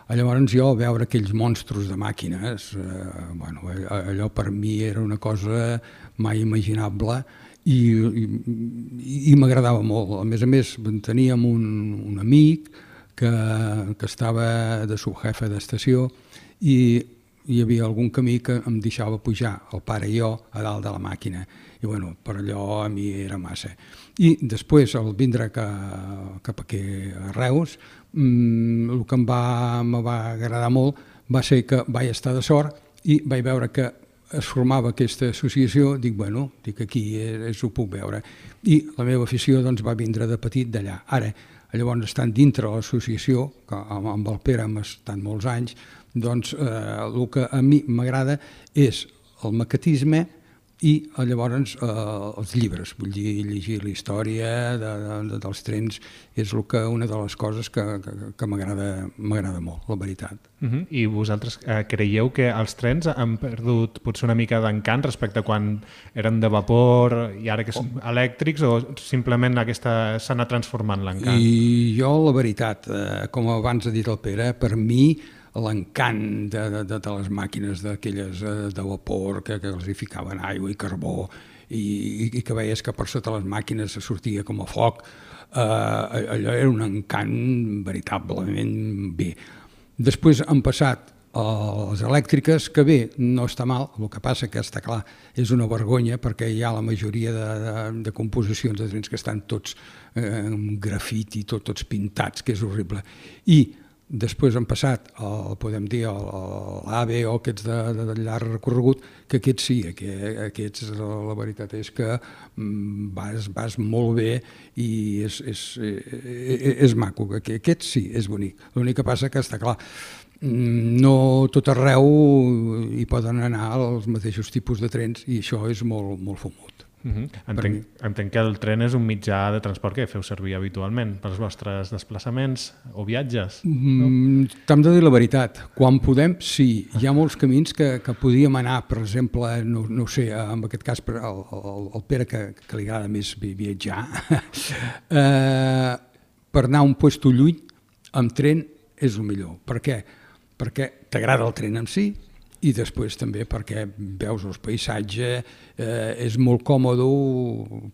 Speaker 9: Llavors jo veure aquells monstros de màquines, eh, bueno, allò per mi era una cosa mai imaginable i, i, i m'agradava molt. A més a més teníem un, un amic que, que estava de subjefe d'estació i hi havia algun camí que em deixava pujar, el pare i jo, a dalt de la màquina. I bueno, per allò a mi era massa. I després, al vindre cap aquí a Reus, el que em va, em va agradar molt va ser que vaig estar de sort i vaig veure que es formava aquesta associació, dic, bueno, dic, aquí és, ho puc veure. I la meva afició doncs, va vindre de petit d'allà. Ara, llavors, estant dintre l'associació, que amb el Pere hem estat molts anys, doncs eh, el que a mi m'agrada és el maquetisme i llavors eh, els llibres, vull dir, llegir la història de, de, dels trens és el que, una de les coses que, que, que m'agrada molt, la veritat.
Speaker 7: Uh-huh. I vosaltres eh, creieu que els trens han perdut potser una mica d'encant respecte a quan eren de vapor i ara que són elèctrics o simplement aquesta s'ha anat transformant l'encant?
Speaker 9: I jo, la veritat, eh, com abans ha dit el Pere, per mi l'encant de, de, de les màquines d'aquelles de vapor que, que els hi ficaven aigua i carbó i, i que veies que per sota les màquines sortia com a foc, eh, allò era un encant veritablement bé. Després han passat a les elèctriques, que bé, no està mal, el que passa que està clar, és una vergonya perquè hi ha la majoria de, de, de composicions de trens que estan tots eh, amb grafiti, tot, tots pintats, que és horrible. I després han passat, el, podem dir, l'AVE o aquests de, de, de llarg recorregut, que aquests sí, que, aquests, la, la veritat és que vas, vas molt bé i és, és, és, és maco, que aquests sí, és bonic. L'únic que passa que està clar, no tot arreu hi poden anar els mateixos tipus de trens i això és molt, molt fumut.
Speaker 7: Uh-huh. entenc, entenc que el tren és un mitjà de transport que feu servir habitualment pels vostres desplaçaments o viatges, no?
Speaker 9: Mm, T'hem de dir la veritat, quan podem sí, hi ha molts camins que, que podíem anar, per exemple, no, no sé, en aquest cas el, el, el Pere que, que li agrada més viatjar, eh, per anar a un puesto lluny amb tren és el millor. Per què? Perquè t'agrada el tren en si, i després també perquè veus el paisatge, eh, és molt còmode,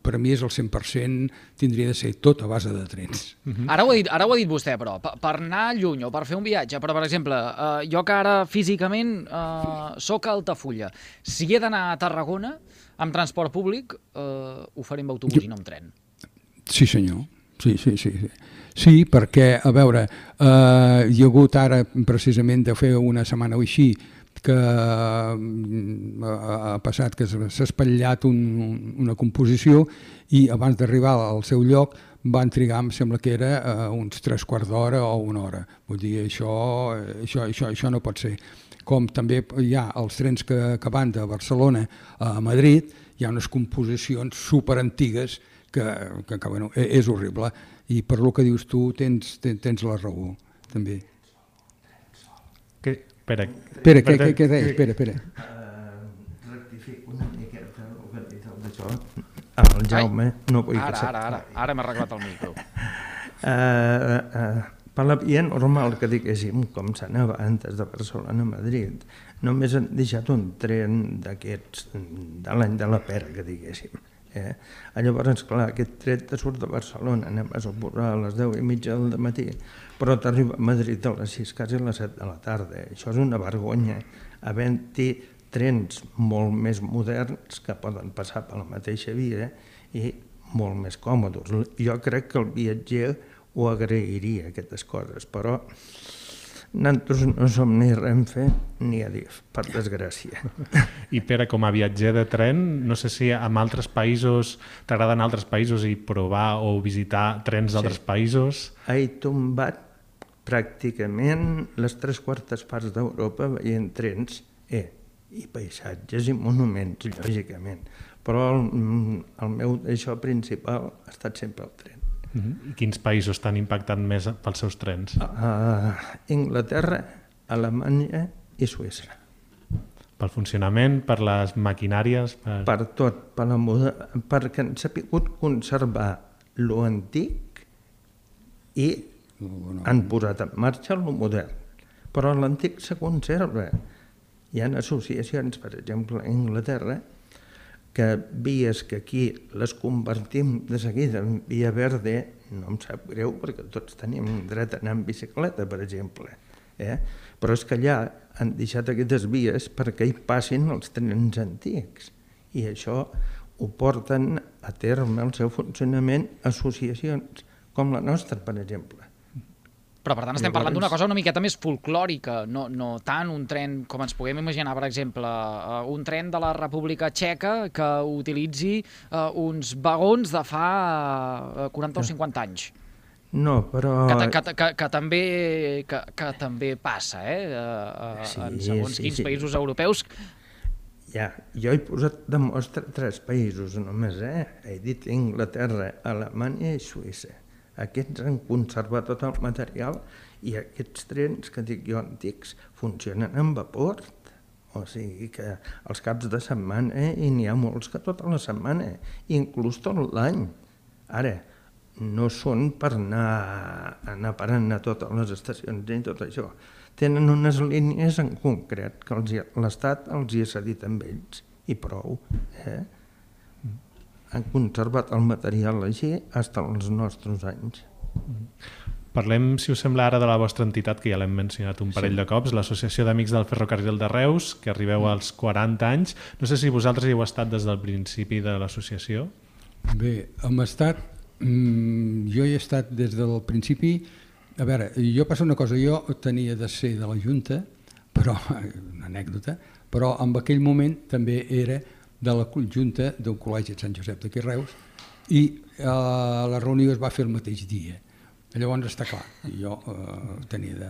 Speaker 9: per a mi és el cent per cent, tindria de ser tot a base de trens.
Speaker 2: Uh-huh. Ara ho ha dit, ara ho ha dit vostè, però, per, per anar lluny o per fer un viatge, però per exemple, eh, jo que ara físicament eh, soc a Altafulla, si he d'anar a Tarragona amb transport públic, eh, ho faré amb autobús jo... i no amb tren.
Speaker 9: Sí, senyor. Sí, sí, sí. Sí, sí perquè, a veure, eh, hi ha hagut ara precisament de fer una setmana o així que ha passat que s'ha espatllat un, una composició i abans d'arribar al seu lloc van trigar, em sembla que era uh, uns tres quarts d'hora o una hora. Vull dir, això, això, això, això no pot ser. Com també hi ha els trens que, que van de Barcelona a Madrid, hi ha unes composicions superantigues que, que, que bueno, és horrible. I per lo que dius tu tens, tens, tens la raó, també.
Speaker 7: Que... Espera,
Speaker 9: espera, què, què, què deies? Espera, espera.
Speaker 8: Uh, rectifico una miqueta el que ha dit el d'això. El Jaume,
Speaker 2: Ai,
Speaker 8: no vull
Speaker 2: ara,
Speaker 8: que
Speaker 2: ara, ara, ara m'ha arreglat el micro.
Speaker 8: Uh, uh, per la via normal que diguéssim, com s'anava antes de Barcelona a Madrid, només han deixat un tren d'aquests, de l'any de la pera, que diguéssim. Eh? Llavors, clar, aquest tren te surt de Barcelona, anem a suposar a les deu i mitja del matí, però t'arriba a Madrid a les sis, quasi a les set de la tarda. Això és una vergonya, havent-hi trens molt més moderns que poden passar per la mateixa via i molt més còmodes. Jo crec que el viatger ho agrairia, aquestes coses, però nosaltres no som ni Renfe ni Adif, per desgràcia.
Speaker 7: I Pere, com a viatger de tren, no sé si en altres països t'agraden altres països i provar o visitar trens d'altres
Speaker 8: sí.
Speaker 7: països?
Speaker 8: He tombat pràcticament les tres quartes parts d'Europa veient trens eh, i paisatges i monuments, lògicament. Però el, el meu això principal ha estat sempre el tren.
Speaker 7: I quins països t'han impactat més pels seus trens?
Speaker 8: Uh, Inglaterra, Alemanya i Suïssa.
Speaker 7: Pel funcionament, per les maquinàries? Per,
Speaker 8: per tot, per la moda, perquè han sabut conservar lo antic i han posat en marxa lo modern. Però l'antic se conserva. Hi ha associacions, per exemple, a Anglaterra, que vies que aquí les convertim de seguida en via verde, no em sap greu perquè tots tenim dret a anar en bicicleta, per exemple. Eh? Però és que allà han deixat aquestes vies perquè hi passin els trens antics. I això ho porten a terme el seu funcionament associacions, com la nostra, per exemple.
Speaker 2: Però, per tant, estem parlant d'una cosa una miqueta més folclòrica, no, no tant un tren, com ens puguem imaginar, per exemple, uh, un tren de la República Txeca que utilitzi uh, uns vagons de fa uh, quaranta o cinquanta anys.
Speaker 8: No, però...
Speaker 2: Que, que, que, que, també, que, que també passa, eh? Uh,
Speaker 8: sí,
Speaker 2: en segons
Speaker 8: sí,
Speaker 2: quins
Speaker 8: sí.
Speaker 2: països europeus.
Speaker 8: Ja, jo he posat de mostra tres països només, eh? He dit Inglaterra, Alemanya i Suïssa. Aquests han conservat tot el material i aquests trens que dic jo antics funcionen amb vapor. O sigui que els caps de setmana, eh, i n'hi ha molts que tota la setmana, inclús tot l'any. Ara, no són per anar, anar parant a totes les estacions i tot això. Tenen unes línies en concret que l'Estat els hi ha cedit amb ells i prou. Eh? Han conservat el material així fins als nostres anys.
Speaker 7: Parlem, si us sembla, ara de la vostra entitat, que ja l'hem mencionat un parell sí. de cops, l'Associació d'Amics del Ferrocarril de Reus, que arribeu als quaranta anys. No sé si vosaltres hi heu estat des del principi de l'associació.
Speaker 9: Bé, hem estat... Jo hi he estat des del principi... A veure, jo passa una cosa, jo tenia de ser de la Junta, però, una anècdota, però en aquell moment també era de la Junta d'un col·legi de Sant Josep d'aquí Reus i eh, la reunió es va fer el mateix dia. Llavors està clar, jo eh, tenia de,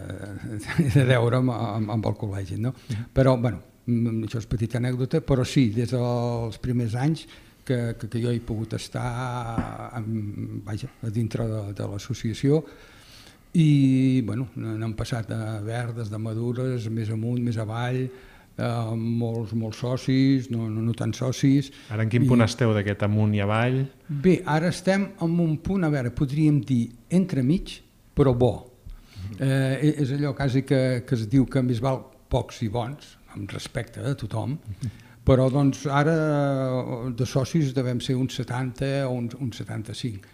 Speaker 9: de deure'm amb, amb el col·legi, no? Però, bueno, això és petita anècdota, però sí, des dels primers anys que, que, que jo he pogut estar en, vaja, a dintre de, de l'associació i, bueno, n'han passat de verdes, de madures, més amunt, més avall, Uh, molts, molts socis, no, no, no tant socis.
Speaker 7: Ara en quin punt I... esteu d'aquest amunt i avall?
Speaker 9: Bé, ara estem en un punt, a veure, podríem dir entremig, però bo. Uh, és allò quasi que, que es diu que més val pocs i bons, amb respecte a tothom, però doncs ara de socis devem ser uns setanta o uns, uns setanta-cinc.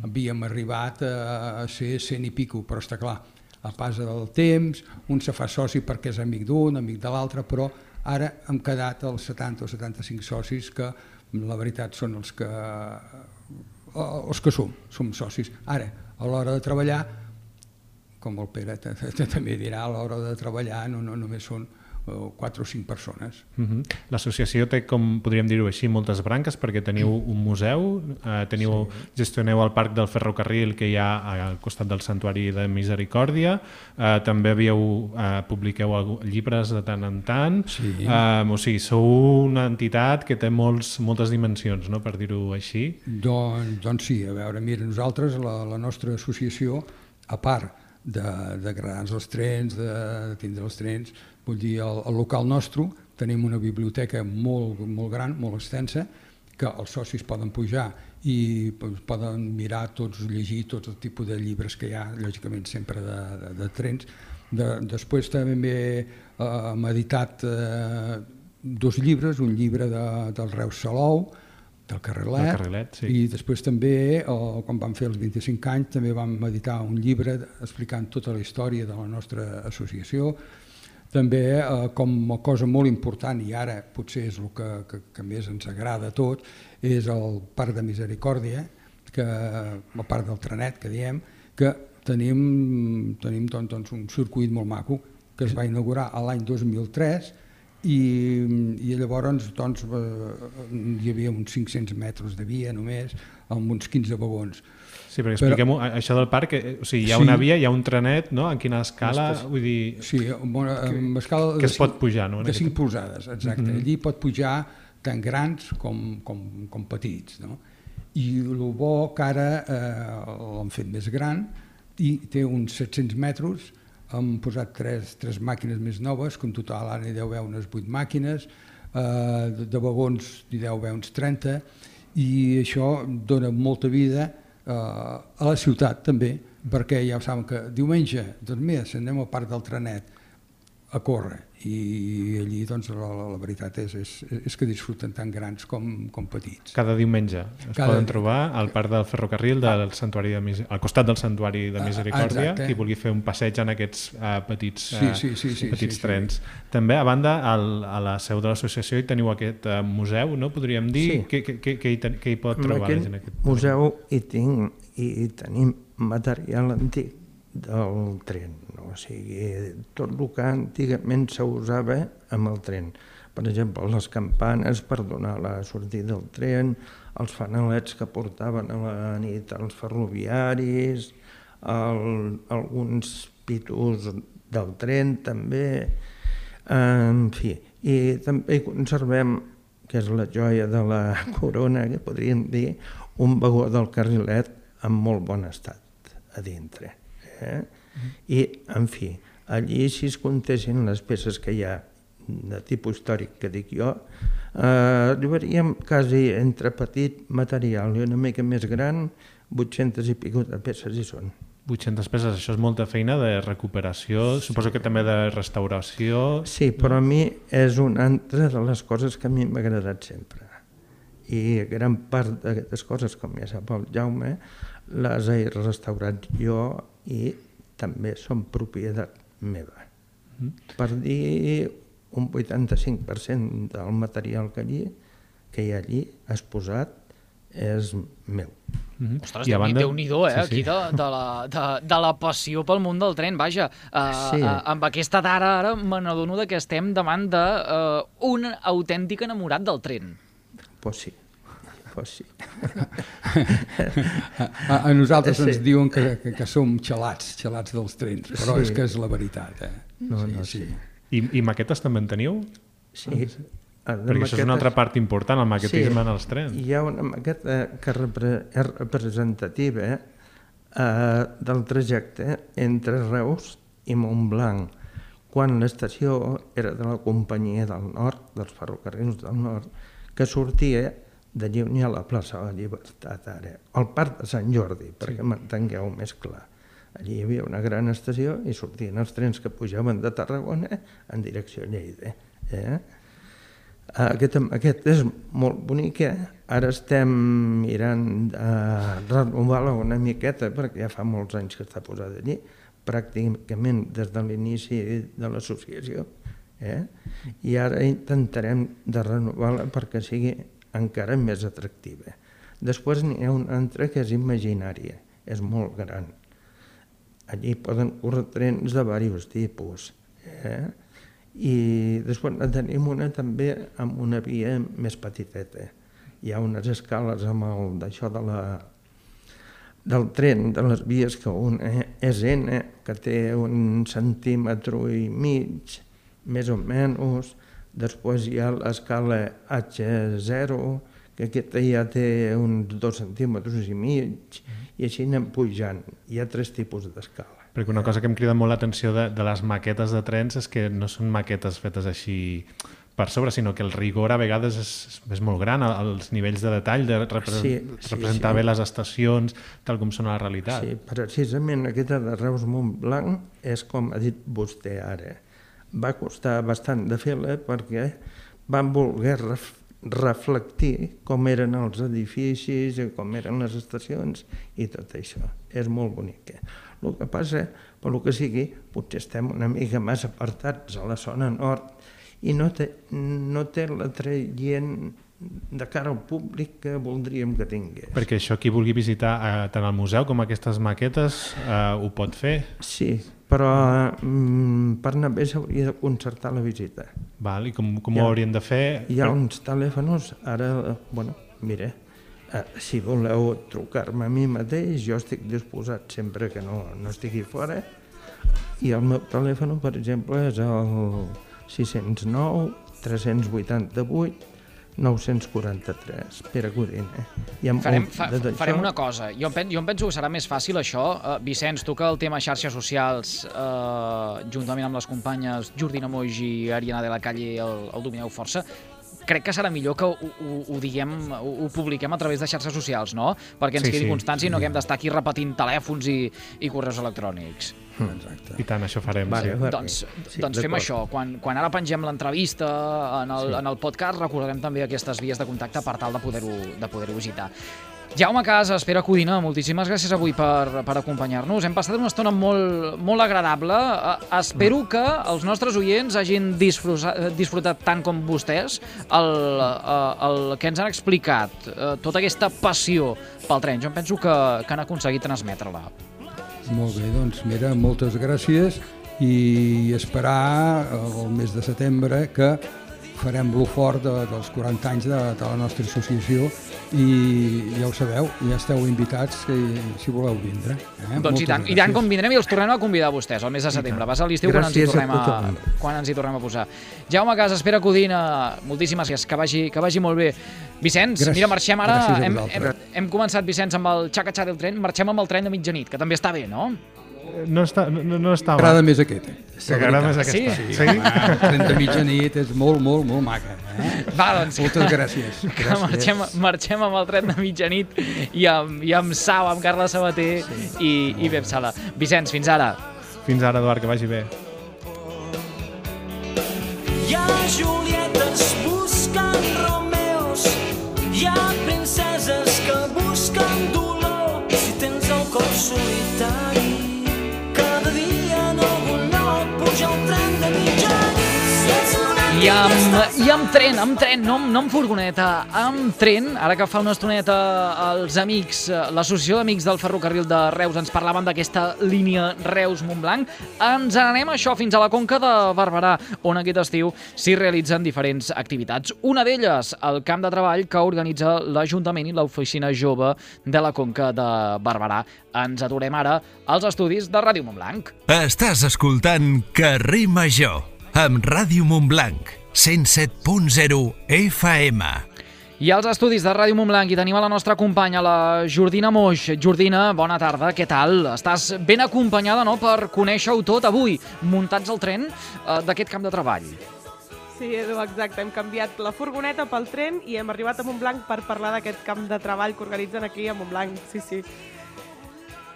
Speaker 9: Havíem arribat a ser cent i pico, però està clar, a pas del temps, un se fa soci perquè és amic d'un, amic de l'altre, però ara hem quedat els setanta o setanta-cinc socis que la veritat són els que, els que som, som socis. Ara, a l'hora de treballar, com el Pere també dirà, a l'hora de treballar no, no només són quatre o cinc persones.
Speaker 7: Uh-huh. L'associació té, com podríem dir-ho així, moltes branques, perquè teniu un museu, eh, teniu, sí. gestioneu el Parc del Ferrocarril que hi ha al costat del Santuari de Misericòrdia, eh, també havíeu, eh, publiqueu llibres de tant en tant, sí. eh, o sigui, sou una entitat que té molts, moltes dimensions, no?, per dir-ho així.
Speaker 9: Doncs, doncs sí, a veure, mira, nosaltres, la, la nostra associació, a part d'agradar-nos els trens, de, de tindre els trens, vull dir, al, al local nostre tenim una biblioteca molt, molt gran, molt extensa, que els socis poden pujar i poden mirar tots, llegir tots el tipus de llibres que hi ha, lògicament sempre de, de, de trens. De, després també eh, hem editat eh, dos llibres, un llibre de, del Reus Salou, del Carrilet,
Speaker 7: el Carrilet sí.
Speaker 9: I després també, o, quan vam fer els vint-i-cinc anys, també vam editar un llibre explicant tota la història de la nostra associació. També, eh, com a cosa molt important, i ara potser és el que, que, que més ens agrada a tot, és el Parc de Misericòrdia, que, el Parc del Trenet, que diem, que tenim, tenim doncs, doncs, un circuit molt maco, que es va inaugurar l'any dos mil tres, i, i llavors doncs, eh, hi havia uns cinc-cents metres de via només, amb uns quinze vagons.
Speaker 7: Sí, perquè expliquem-ho, això del parc, o sigui, hi ha
Speaker 9: sí.
Speaker 7: una via, hi ha un trenet, no?, en quina escala,
Speaker 9: Estes,
Speaker 7: vull dir...
Speaker 9: Sí, una, amb escala
Speaker 7: que
Speaker 9: de
Speaker 7: es pot pujar, no?
Speaker 9: De cinc polzades, exacte. Mm-hmm. Allí pot pujar tant grans com, com, com petits, no? I el bo que ara eh, l'han fet més gran i té uns set-cents metres. Hem posat tres, tres màquines més noves, que en total ara hi deu haver unes vuit màquines, eh, de, de vagons hi deu haver uns trenta, i això dona molta vida eh, a la ciutat també, perquè ja ho saben que diumenge, doncs mira, si anem al Parc del Trenet a córrer, i allí doncs la, la, la veritat és, és, és que disfruten tant grans com, com petits.
Speaker 7: Cada diumenge es Cada... poden trobar al Parc del Ferrocarril del Santuari de Mis... al costat del Santuari de Misericòrdia, Exacte. Qui vulgui fer un passeig en aquests uh, petits, uh,
Speaker 9: sí, sí, sí, sí,
Speaker 7: petits
Speaker 9: sí,
Speaker 7: trens.
Speaker 9: Sí.
Speaker 7: També, a banda, al, a la seu de l'associació hi teniu aquest uh, museu, no? Podríem dir, sí. què, què, què, hi ten, què hi pot trobar la gent? Aquest
Speaker 8: museu hi, tinc, hi, hi tenim material antic del tren, no? O sigui, tot el que antigament s'usava amb el tren. Per exemple, les campanes per donar la sortida del tren, els fanalets que portaven a la nit els ferroviaris, el, alguns pitos del tren també, en fi. I també conservem, que és la joia de la corona, que podríem dir, un vagó del Carrilet en molt bon estat a dintre. Eh? I, en fi, allí si es comptessin les peces que hi ha de tipus històric que dic jo, eh, arribaríem quasi entre petit material i una mica més gran, vuit-centes i pico de peces hi són.
Speaker 7: vuit-centes peces, això és molta feina de recuperació, sí. Suposo que també de restauració.
Speaker 8: Sí, però a mi és una altra de les coses que a mi m'ha agradat sempre. I gran part d'aquestes coses, com ja sap el Jaume, les he restaurat jo i també són propietat meva. Mm. Per dir, un vuitanta-cinc per cent del material que, allí, que hi ha allí exposat és meu.
Speaker 2: Mm-hmm. Ostres, banda... Déu-n'hi-do, eh? Sí, sí. Aquí de, de, la, de, de la passió pel món del tren, vaja. Uh, sí. uh, amb aquesta dada ara me n'adono que estem davant d'un uh, autèntic enamorat del tren.
Speaker 8: Pues sí. Pues sí.
Speaker 9: a, a nosaltres sí. ens diuen que, que, que som xalats, xalats dels trens, però sí. és que és la veritat. Eh?
Speaker 8: No, sí, no, sí. sí.
Speaker 7: I, I maquetes també en teniu?
Speaker 8: Sí.
Speaker 7: Ah, perquè maquetes... això és una altra part important, el maquetisme sí. en els trens.
Speaker 8: Hi ha una maqueta que repre és representativa eh, del trajecte entre Reus i Montblanc, quan l'estació era de la Companyia del Nord, dels ferrocarrils del Nord, que sortia d'allí on hi ha la plaça de la Llibertat ara, al Parc de Sant Jordi, perquè sí. m'entengueu més clar. Allí hi havia una gran estació i sortien els trens que pujaven de Tarragona en direcció a Lleida. Eh? Aquest, aquest és molt bonic, eh? Ara estem mirant de renovar-la una miqueta perquè ja fa molts anys que està posada allí, pràcticament des de l'inici de l'associació. Eh? I ara intentarem de renovar-la perquè sigui encara més atractiva. Després n'hi ha una altra que és imaginària, és molt gran. Allí poden córrer trens de diversos tipus. Eh? I després tenim una també amb una via més petiteta. Hi ha unes escales amb el d'això de la, del tren, de les vies, que una és N, que té un centímetre i mig, més o menys. Després hi ha l'escala H zero, que aquesta ja té uns dos centímetres i mig, i així anem pujant. Hi ha tres tipus d'escala.
Speaker 7: Perquè una cosa que em crida molt l'atenció de, de les maquetes de trens és que no són maquetes fetes així per sobre, sinó que el rigor a vegades és, és molt gran, els nivells de detall, de repre sí, sí, representar sí. bé les estacions, tal com són a la realitat.
Speaker 8: Sí, precisament aquesta de Reus Montblanc és com ha dit vostè ara. Va costar bastant de fer-la perquè van voler ref reflectir com eren els edificis, com eren les estacions i tot això. És molt bonic. El que passa, per lo que sigui, potser estem una mica més apartats a la zona nord i no té, no té l'atraient de cara al públic que voldríem que tingués.
Speaker 7: Perquè això, qui vulgui visitar eh, tant el museu com aquestes maquetes eh, ho pot fer?
Speaker 8: Sí, però mm, per anar bé s'hauria de concertar la visita.
Speaker 7: Val, i com, com ho haurien de fer?
Speaker 8: Hi ha uns telèfons, ara, bueno, mire, eh, si voleu trucar-me a mi mateix, jo estic disposat sempre que no, no estigui fora, i el meu telèfon, per exemple, és el sis zero nou, tres vuit vuit, nou quaranta tres, Pere Codina.
Speaker 2: Farem, fa, farem una cosa. Jo em, pen, jo em penso que serà més fàcil això. Uh, Vicenç, tu que el tema xarxes socials, uh, juntament amb les companyes Jordina Moix i Ariana de la Calle, el, el domineu força, crec que serà millor que ho, ho, ho diguem, ho, ho publiquem a través de xarxes socials, no? Perquè ens sí, quedi sí. constància i no haguem d'estar aquí repetint telèfons i, i correus electrònics.
Speaker 7: Exacte. I tant, això farem.
Speaker 8: Vale,
Speaker 7: sí.
Speaker 8: vale.
Speaker 2: Doncs,
Speaker 8: sí,
Speaker 2: doncs fem això. Quan, quan ara pengem l'entrevista en, el, sí. en el podcast, recordarem també aquestes vies de contacte per tal de poder-ho de poder-ho visitar. Jaume Casas, Pere Codina, moltíssimes gràcies avui per, per acompanyar-nos. Hem passat una estona molt, molt agradable. Espero que els nostres oients hagin disfrutat, disfrutat tant com vostès el, el que ens han explicat, tota aquesta passió pel tren. Jo em penso que, que han aconseguit transmetre-la.
Speaker 9: Molt bé, doncs mira, moltes gràcies i esperar el mes de setembre que farem lo fort de, dels quaranta anys de, de la nostra associació i ja ho sabeu, ja esteu invitats si, si voleu vindre. Eh?
Speaker 2: Doncs i tant, i tant com vindrem i els tornem a convidar a vostès el mes de setembre. Vas a l'estiu quan, ens hi tornem a, quan ens hi tornem a posar. Jaume Casas, Pere Codina, moltíssimes gràcies, que vagi, que vagi molt bé. Vicenç, gràcies, mira, marxem ara, hem, hem, hem començat, Vicenç, amb el xaca-xà del tren, marxem amb el tren de mitjanit, que també està bé, no?
Speaker 7: No està, no, no està mal.
Speaker 9: M'agrada més aquest.
Speaker 7: M'agrada més aquesta.
Speaker 2: Sí?
Speaker 9: Sí, sí? El tren de mitjanit és molt, molt, molt maca. Eh?
Speaker 2: Va, doncs.
Speaker 9: Moltes gràcies.
Speaker 2: Que gràcies. Marxem, marxem amb el tren de mitjanit i amb, i amb Sau, amb Carla Sabater sí. i, i Beb Sala. Vicenç, fins ara.
Speaker 7: Fins ara, Eduard, que vagi bé.
Speaker 10: Hi ha Julietes buscant Romeos, hi ha princeses que busquen dolor. Si tens el cor solitari, cada dia no vull no pujar el tren de mitjanit.
Speaker 2: I amb, I amb tren, amb tren, no, no amb furgoneta, amb tren, ara que fa una estoneta els amics, l'associació d'amics del ferrocarril de Reus ens parlaven d'aquesta línia Reus-Montblanc, ens anem això fins a la Conca de Barberà, on aquest estiu s'hi realitzen diferents activitats. Una d'elles, el camp de treball que organitza l'Ajuntament i l'Oficina Jove de la Conca de Barberà. Ens aturem ara als estudis de Ràdio Montblanc.
Speaker 1: Estàs escoltant Carrer Major amb Ràdio Montblanc, cent set punt zero F M.
Speaker 2: I als estudis de Ràdio Montblanc hi tenim a la nostra companya, la Jordina Moix. Jordina, bona tarda, què tal? Estàs ben acompanyada, no?, per conèixer-ho tot avui, muntats al tren eh, d'aquest camp de treball.
Speaker 11: Sí, Edu, exacte. Hem canviat la furgoneta pel tren i hem arribat a Montblanc per parlar d'aquest camp de treball que organitzen aquí a Montblanc. Sí, sí.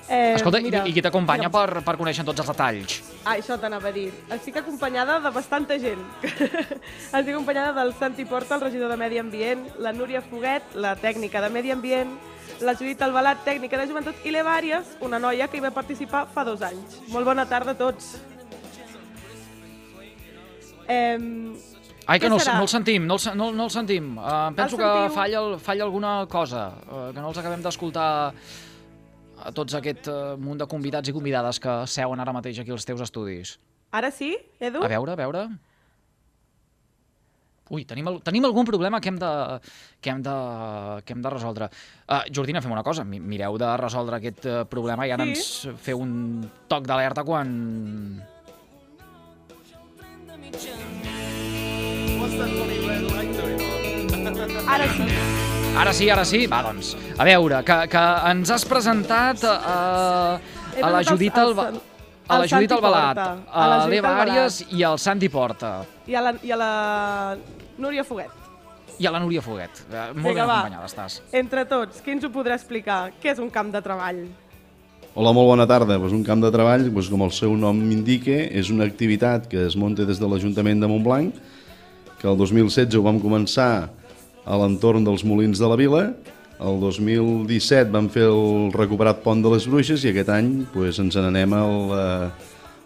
Speaker 11: Eh,
Speaker 2: Escolta,
Speaker 11: mira,
Speaker 2: i qui t'acompanya
Speaker 11: mira.
Speaker 2: per, per conèixer tots els detalls?
Speaker 11: Ah, això t'anava a dir. Estic acompanyada de bastanta gent. Estic acompanyada del Santi Porta, el regidor de Medi Ambient, la Núria Foguet, la tècnica de Medi Ambient, la Judit Albalat, tècnica de Joventut, i l'Eva Àries, una noia que hi va participar fa dos anys. Molt bona tarda a tots. Eh,
Speaker 2: Ai, que
Speaker 11: què
Speaker 2: no, el-
Speaker 11: serà?
Speaker 2: no el sentim, no el, se- no, no el sentim. Uh, penso
Speaker 11: El
Speaker 2: que
Speaker 11: sentiu?
Speaker 2: falla, el- falla alguna cosa, uh, que no els acabem d'escoltar a tots aquest uh, munt de convidats i convidades que seuen ara mateix aquí als teus estudis.
Speaker 11: Ara sí, Edu?
Speaker 2: A veure, a veure... Ui, tenim, el, tenim algun problema que hem de, que hem de, que hem de resoldre. Uh, Jordina, fem una cosa, mi- mireu de resoldre aquest uh, problema i ara
Speaker 11: Sí.
Speaker 2: ens feu un toc d'alerta quan...
Speaker 11: Ara sí.
Speaker 2: Ara sí, ara sí. Va, doncs, a veure, que, que ens has presentat uh,
Speaker 11: He
Speaker 2: a la
Speaker 11: presentat
Speaker 2: Judit
Speaker 11: el-
Speaker 2: Alba...
Speaker 11: el-
Speaker 2: A la
Speaker 11: el
Speaker 2: Judit
Speaker 11: Santi
Speaker 2: Albalat,
Speaker 11: Porta,
Speaker 2: a
Speaker 11: a la Judit
Speaker 2: l'Eva
Speaker 11: Albalat.
Speaker 2: Àries i al Santi Porta.
Speaker 11: I a la, i a la Núria Foguet.
Speaker 2: I a la Núria Foguet. Eh, Molt
Speaker 11: Vinga,
Speaker 2: ben
Speaker 11: va.
Speaker 2: acompanyada estàs.
Speaker 11: Entre tots, qui ens ho podrà explicar? Què és un camp de treball?
Speaker 12: Hola, molt bona tarda. Pues un camp de treball, pues com el seu nom indica, és una activitat que es munta des de l'Ajuntament de Montblanc, que el dos mil setze ho vam començar a l'entorn dels Molins de la Vila, el dos mil disset vam fer el recuperat Pont de les Bruixes i aquest any pues, ens n'anem al, eh,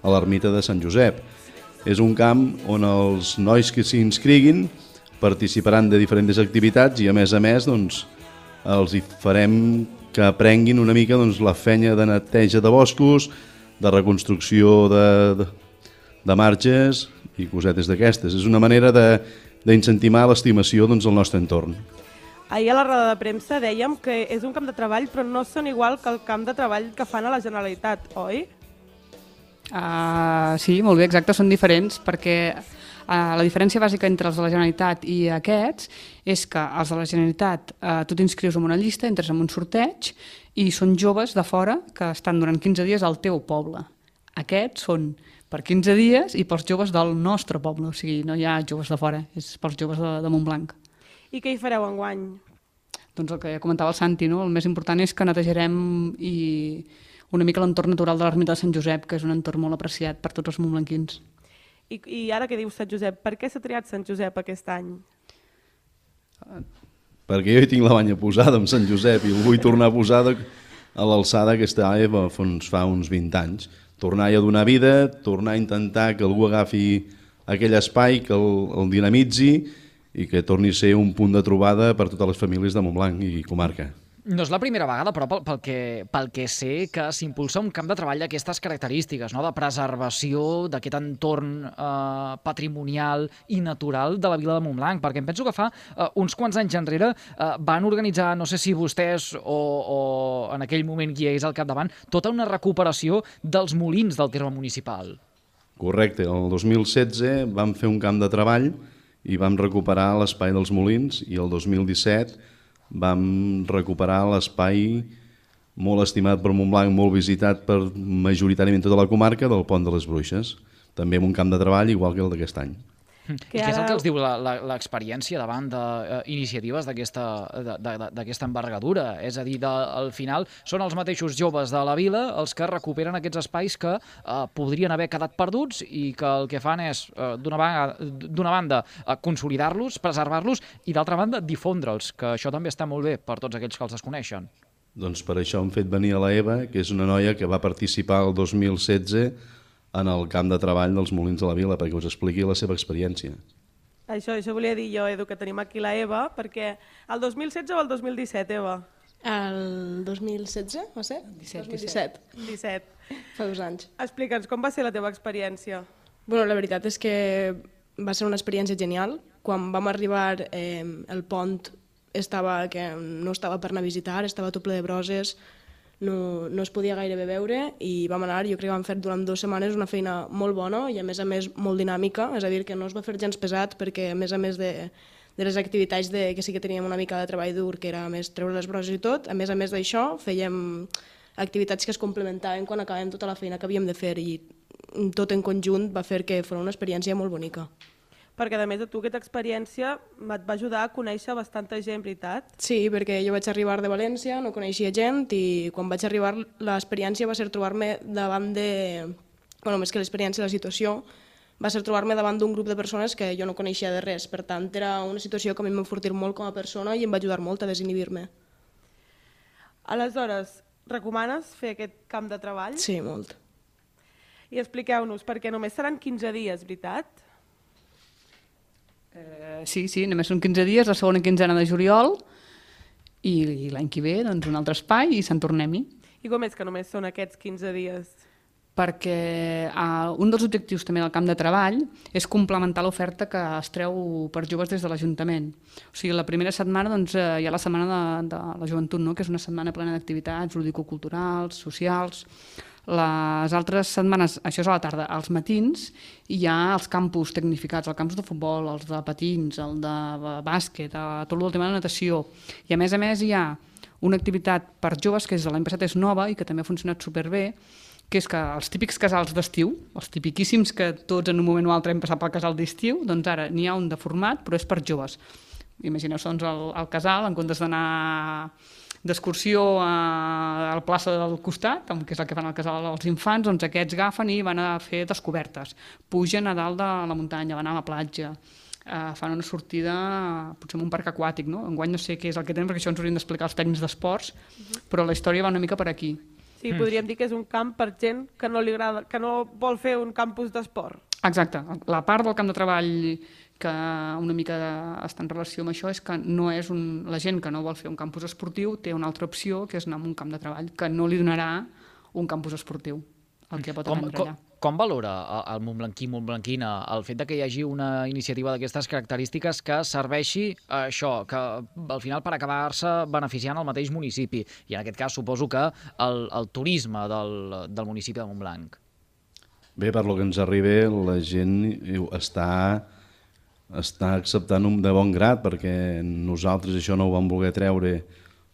Speaker 12: a l'ermita de Sant Josep. És un camp on els nois que s'hi inscriguin participaran de diferents activitats i a més a més doncs, els hi farem que aprenguin una mica doncs, la feina de neteja de boscos, de reconstrucció de, de, de marges i cosetes d'aquestes. És una manera de, d'incentivar l'estimació doncs, al nostre entorn.
Speaker 11: Ahir a la roda de premsa dèiem que és un camp de treball, però no són igual que el camp de treball que fan a la Generalitat, oi?
Speaker 13: Uh, sí, molt bé, exacte, són diferents perquè uh, la diferència bàsica entre els de la Generalitat i aquests és que els de la Generalitat uh, tu t'inscrius en una llista, entres en un sorteig i són joves de fora que estan durant quinze dies al teu poble. Aquests són per quinze dies i pels joves del nostre poble, o sigui, no hi ha joves de fora, és pels joves de, de Montblanc.
Speaker 11: I què hi fareu enguany?
Speaker 13: Doncs el que comentava el Santi, no? El més important és que netejarem i una mica l'entorn natural de l'ermita de Sant Josep, que és un entorn molt apreciat per tots els montblanquins.
Speaker 11: I, i ara que dius Sant Josep, per què s'ha triat Sant Josep aquest any?
Speaker 12: Perquè jo hi tinc la banya posada amb Sant Josep i el vull tornar a posar a l'alçada que estava fa uns vint anys. Tornar a donar vida, tornar a intentar que algú agafi aquell espai, que el, el dinamitzi i que torni a ser un punt de trobada per totes les famílies de Montblanc i comarca.
Speaker 2: No és la primera vegada, però pel, pel, que, pel que sé que s'impulsa un camp de treball d'aquestes característiques, no? De preservació d'aquest entorn eh, patrimonial i natural de la vila de Montblanc, perquè em penso que fa eh, uns quants anys enrere eh, van organitzar, no sé si vostès o, o en aquell moment qui és al capdavant, tota una recuperació dels molins del terme municipal.
Speaker 12: Correcte, el dos mil setze vam fer un camp de treball i vam recuperar l'espai dels molins i el dos mil disset vam recuperar l'espai molt estimat per Montblanc, molt visitat per majoritàriament tota la comarca del Pont de les Bruixes, també amb un camp de treball igual que el d'aquest any.
Speaker 2: I què és el que els diu l'experiència davant d'iniciatives d'aquesta envergadura? És a dir, de, al final són els mateixos joves de la vila els que recuperen aquests espais que eh, podrien haver quedat perduts i que el que fan és, eh, d'una banda, eh, consolidar-los, preservar-los i d'altra banda, difondre'ls, que això també està molt bé per tots aquells que els desconeixen.
Speaker 12: Doncs per això hem fet venir a la Eva, que és una noia que va participar el dos mil setze en el camp de treball dels Molins de la Vila, perquè us expliqui la seva experiència.
Speaker 11: Això, això volia dir jo, Edu, que tenim aquí la Eva, perquè el dos mil setze o el dos mil disset, Eva?
Speaker 14: El dos mil setze, va ser?
Speaker 11: disset.
Speaker 14: dos mil disset.
Speaker 11: disset.
Speaker 14: Fa dos anys.
Speaker 11: Explica'ns, com va ser la teva experiència?
Speaker 14: Bueno, la veritat és que va ser una experiència genial. Quan vam arribar, eh, el pont estava que no estava per anar a visitar, estava tot ple de broses, no, no es podia gairebé veure i vam anar, jo crec que vam fer durant dues setmanes una feina molt bona i a més a més molt dinàmica, és a dir, que no es va fer gens pesat perquè a més a més de, de les activitats de, que sí que teníem una mica de treball dur, que era més treure les broses i tot, a més a més d'això fèiem activitats que es complementaven quan acabàvem tota la feina que havíem de fer i tot en conjunt va fer que fos una experiència molt bonica.
Speaker 11: perquè a més de tu aquesta experiència et va ajudar a conèixer bastanta gent, veritat?
Speaker 14: Sí, perquè jo vaig arribar de València, no coneixia gent, i quan vaig arribar l'experiència va ser trobar-me davant de... Bueno, més que l'experiència, la situació, va ser trobar-me davant d'un grup de persones que jo no coneixia de res. Per tant, era una situació que a mi em va enfortir molt com a persona i em va ajudar molt a desinhibir-me.
Speaker 11: Aleshores, recomanes fer aquest camp de treball?
Speaker 14: Sí, molt.
Speaker 11: I expliqueu-nos, perquè només seran quinze dies, veritat?
Speaker 13: Eh, sí, sí, només són quinze dies, la segona quinzena de juliol, i, i l'any que ve doncs, un altre espai i se'n tornem-hi.
Speaker 11: I com és que només són aquests quinze dies?
Speaker 13: Perquè eh, un dels objectius també del camp de treball és complementar l'oferta que es treu per joves des de l'Ajuntament. O sigui, la primera setmana doncs, eh, hi ha la Setmana de, de la Joventut, no? Que és una setmana plena d'activitats lúdico-culturals, socials. Les altres setmanes, això és a la tarda, als matins, hi ha els campus tecnificats, els campus de futbol, els de patins, el de bàsquet, tot el tema de natació. I a més a més hi ha una activitat per joves que des de l'any passat és nova i que també ha funcionat superbé, que és que els típics casals d'estiu, els tipiquíssims que tots en un moment o altre hem passat pel casal d'estiu, doncs ara n'hi ha un de format, però és per joves. Imagineu-vos doncs, el, el casal, en comptes d'anar d'excursió a la plaça del costat, que és el que fan al casal dels infants, doncs aquests agafen i van a fer descobertes. Pugen a dalt de la muntanya, van a la platja, eh, fan una sortida potser en un parc aquàtic, no? Enguany no sé què és el que tenen, perquè això ens haurien d'explicar els tècnics d'esports, uh-huh. Però la història va una mica per aquí.
Speaker 11: Sí, mm. podríem dir que és un camp per gent que no li agrada, que no vol fer un campus d'esport.
Speaker 13: Exacte. La part del camp de treball que una mica està en relació amb això és que no és un, la gent que no vol fer un campus esportiu té una altra opció, que és anar a un camp de treball, que no li donarà un campus esportiu, el que pot
Speaker 2: com,
Speaker 13: aprendre
Speaker 2: com,
Speaker 13: allà.
Speaker 2: Com valora el Montblanquí, Montblanquina, el fet de que hi hagi una iniciativa d'aquestes característiques que serveixi a això, que al final per acabar-se beneficiant el mateix municipi, i en aquest cas suposo que el, el turisme del, del municipi de Montblanc?
Speaker 12: Bé, per lo que ens arriba, la gent està... està acceptant de bon grat, perquè nosaltres això no ho vam voler treure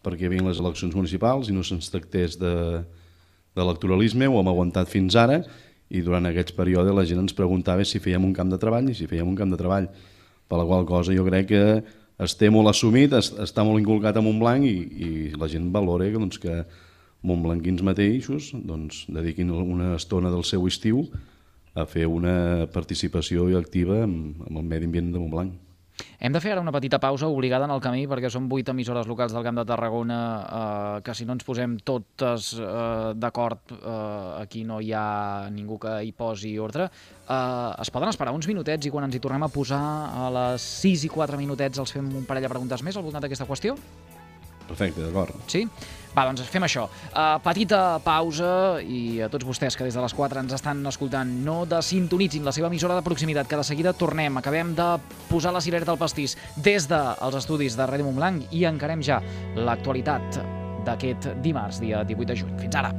Speaker 12: perquè hi havia les eleccions municipals i no se'ns tractés d'electoralisme, ho hem aguantat fins ara, i durant aquests períodes la gent ens preguntava si fèiem un camp de treball i si fèiem un camp de treball, per la qual cosa jo crec que està molt assumit, està molt inculcat a Montblanc i, i la gent valora que, doncs, que montblanquins mateixos doncs, dediquin una estona del seu estiu a fer una participació activa amb, amb el medi ambient de Montblanc.
Speaker 2: Hem de fer ara una petita pausa obligada en el camí perquè són vuit emissores locals del Camp de Tarragona eh, que si no ens posem totes eh, d'acord eh, aquí no hi ha ningú que hi posi ordre. Eh, es poden esperar uns minutets i quan ens hi tornem a posar a les sis i quatre minutets els fem un parell de preguntes més al voltant d'aquesta qüestió?
Speaker 12: Perfecte, d'acord.
Speaker 2: Sí? Va, doncs fem això. Uh, petita pausa i a tots vostès que des de les quatre ens estan escoltant no desintonitzin la seva emissora de proximitat, que de seguida tornem. Acabem de posar la cirera del pastís des dels estudis de Ràdio Montblanc i encarem ja l'actualitat d'aquest dimarts, dia divuit de juny. Fins ara!